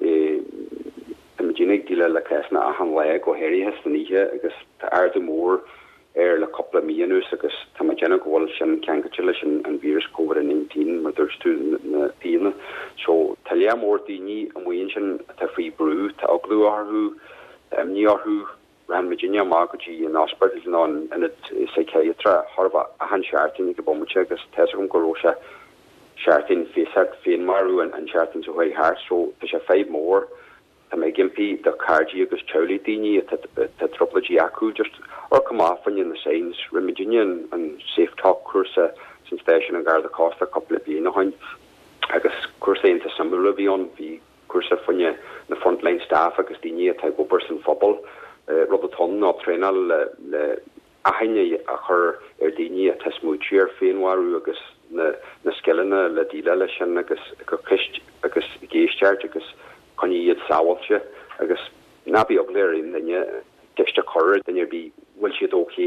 Tá muidinne ag déileáil le cásanna achan lá, go háirithe san oíche agus tá ardú mór air le cúpla mí anuas agus tá mé ag déanamh go bhfuil sin ceangailte leis an víreas Covid-19 mar dúirt tú na daoine. So tá lear mór daoine amuigh ansin atá faoi brú, tá eagla orthu, tá imní orthu. Raghann muidinne amach go dtí an ospidéal nó an ionad psychiatry chóir a bheith achan seachtain ag an bomaite agus tá 'fhios agam go raibh sé seachtain feasacht féinmharú an tseachtain seo chuaigh thart so tá sé fadhb mór. Tá mé ag impí do chairde agus teaghlaigh daoine atá tá trioblóidí acu just amharc amach fá choinne na signs. Rinne muidinne an an Safe Talk cúrsa san stáisiún an Gharda Cósta cúpla bliain ó shin agus cúrsa iontach suimiúil a bhí ann. Bhí cúrsa fá choinne na frontline staff agus daoine atá ag obair san phobal. Rud atá ann ná traenáil le aithne a chur ar daoine atá smaoitiú ar féinmharú agus na na scileanna le déileáil leis sin agus ag cur ceist agus ag éisteacht agus coinneáil iad sábháilte agus ná bí eagla ar aon duine ceist a chur ar duine ar bith bhfuil siad ok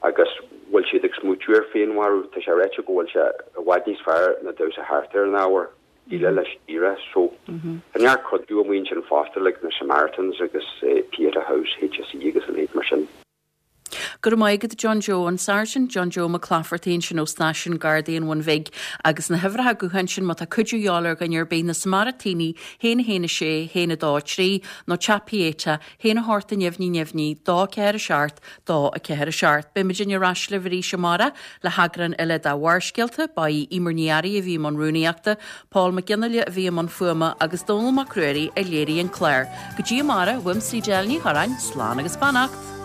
agus bhfuil siad ag smaoitiú ar féinmharú. Tá sé ráite go bhfuil sé i bhfad níos fearr ná damhsa thart ar an ábhar. déileáil leis díreach. So, tá neart cuidiú amuigh ansin fosta like na Samaritans agus Pieta House, HSE agus a leithéid mar sin. Go raibh maith agat John Joe, an Sáirsint John Joe Mac Laifeartaigh ansin ó Stáisiún Gardaí an Bhun Bhig agus na huimhreacha gutháin sin má tá cuidiú a dhíobháil ar dhuine ar bith, na Samairitínigh, 1 1 6 1 2 3 nó Teach Pieta, 1 8 neamhní neamhní 2 4 7 2 4 7. Beidh muidinne ar ais libh arís amárach le heagrán eile de Bharrscéalta. Ba í Emer Ní Fhearraigh a bhí i mbun rúnaíochta, Paul Mac Fhionnghaile a bhí i mbun fuaime agus Dónall Mac Ruairí a léirigh an clár. Go dtí amárach, uaimse Edel Ní Chorráin, slán agus beannacht!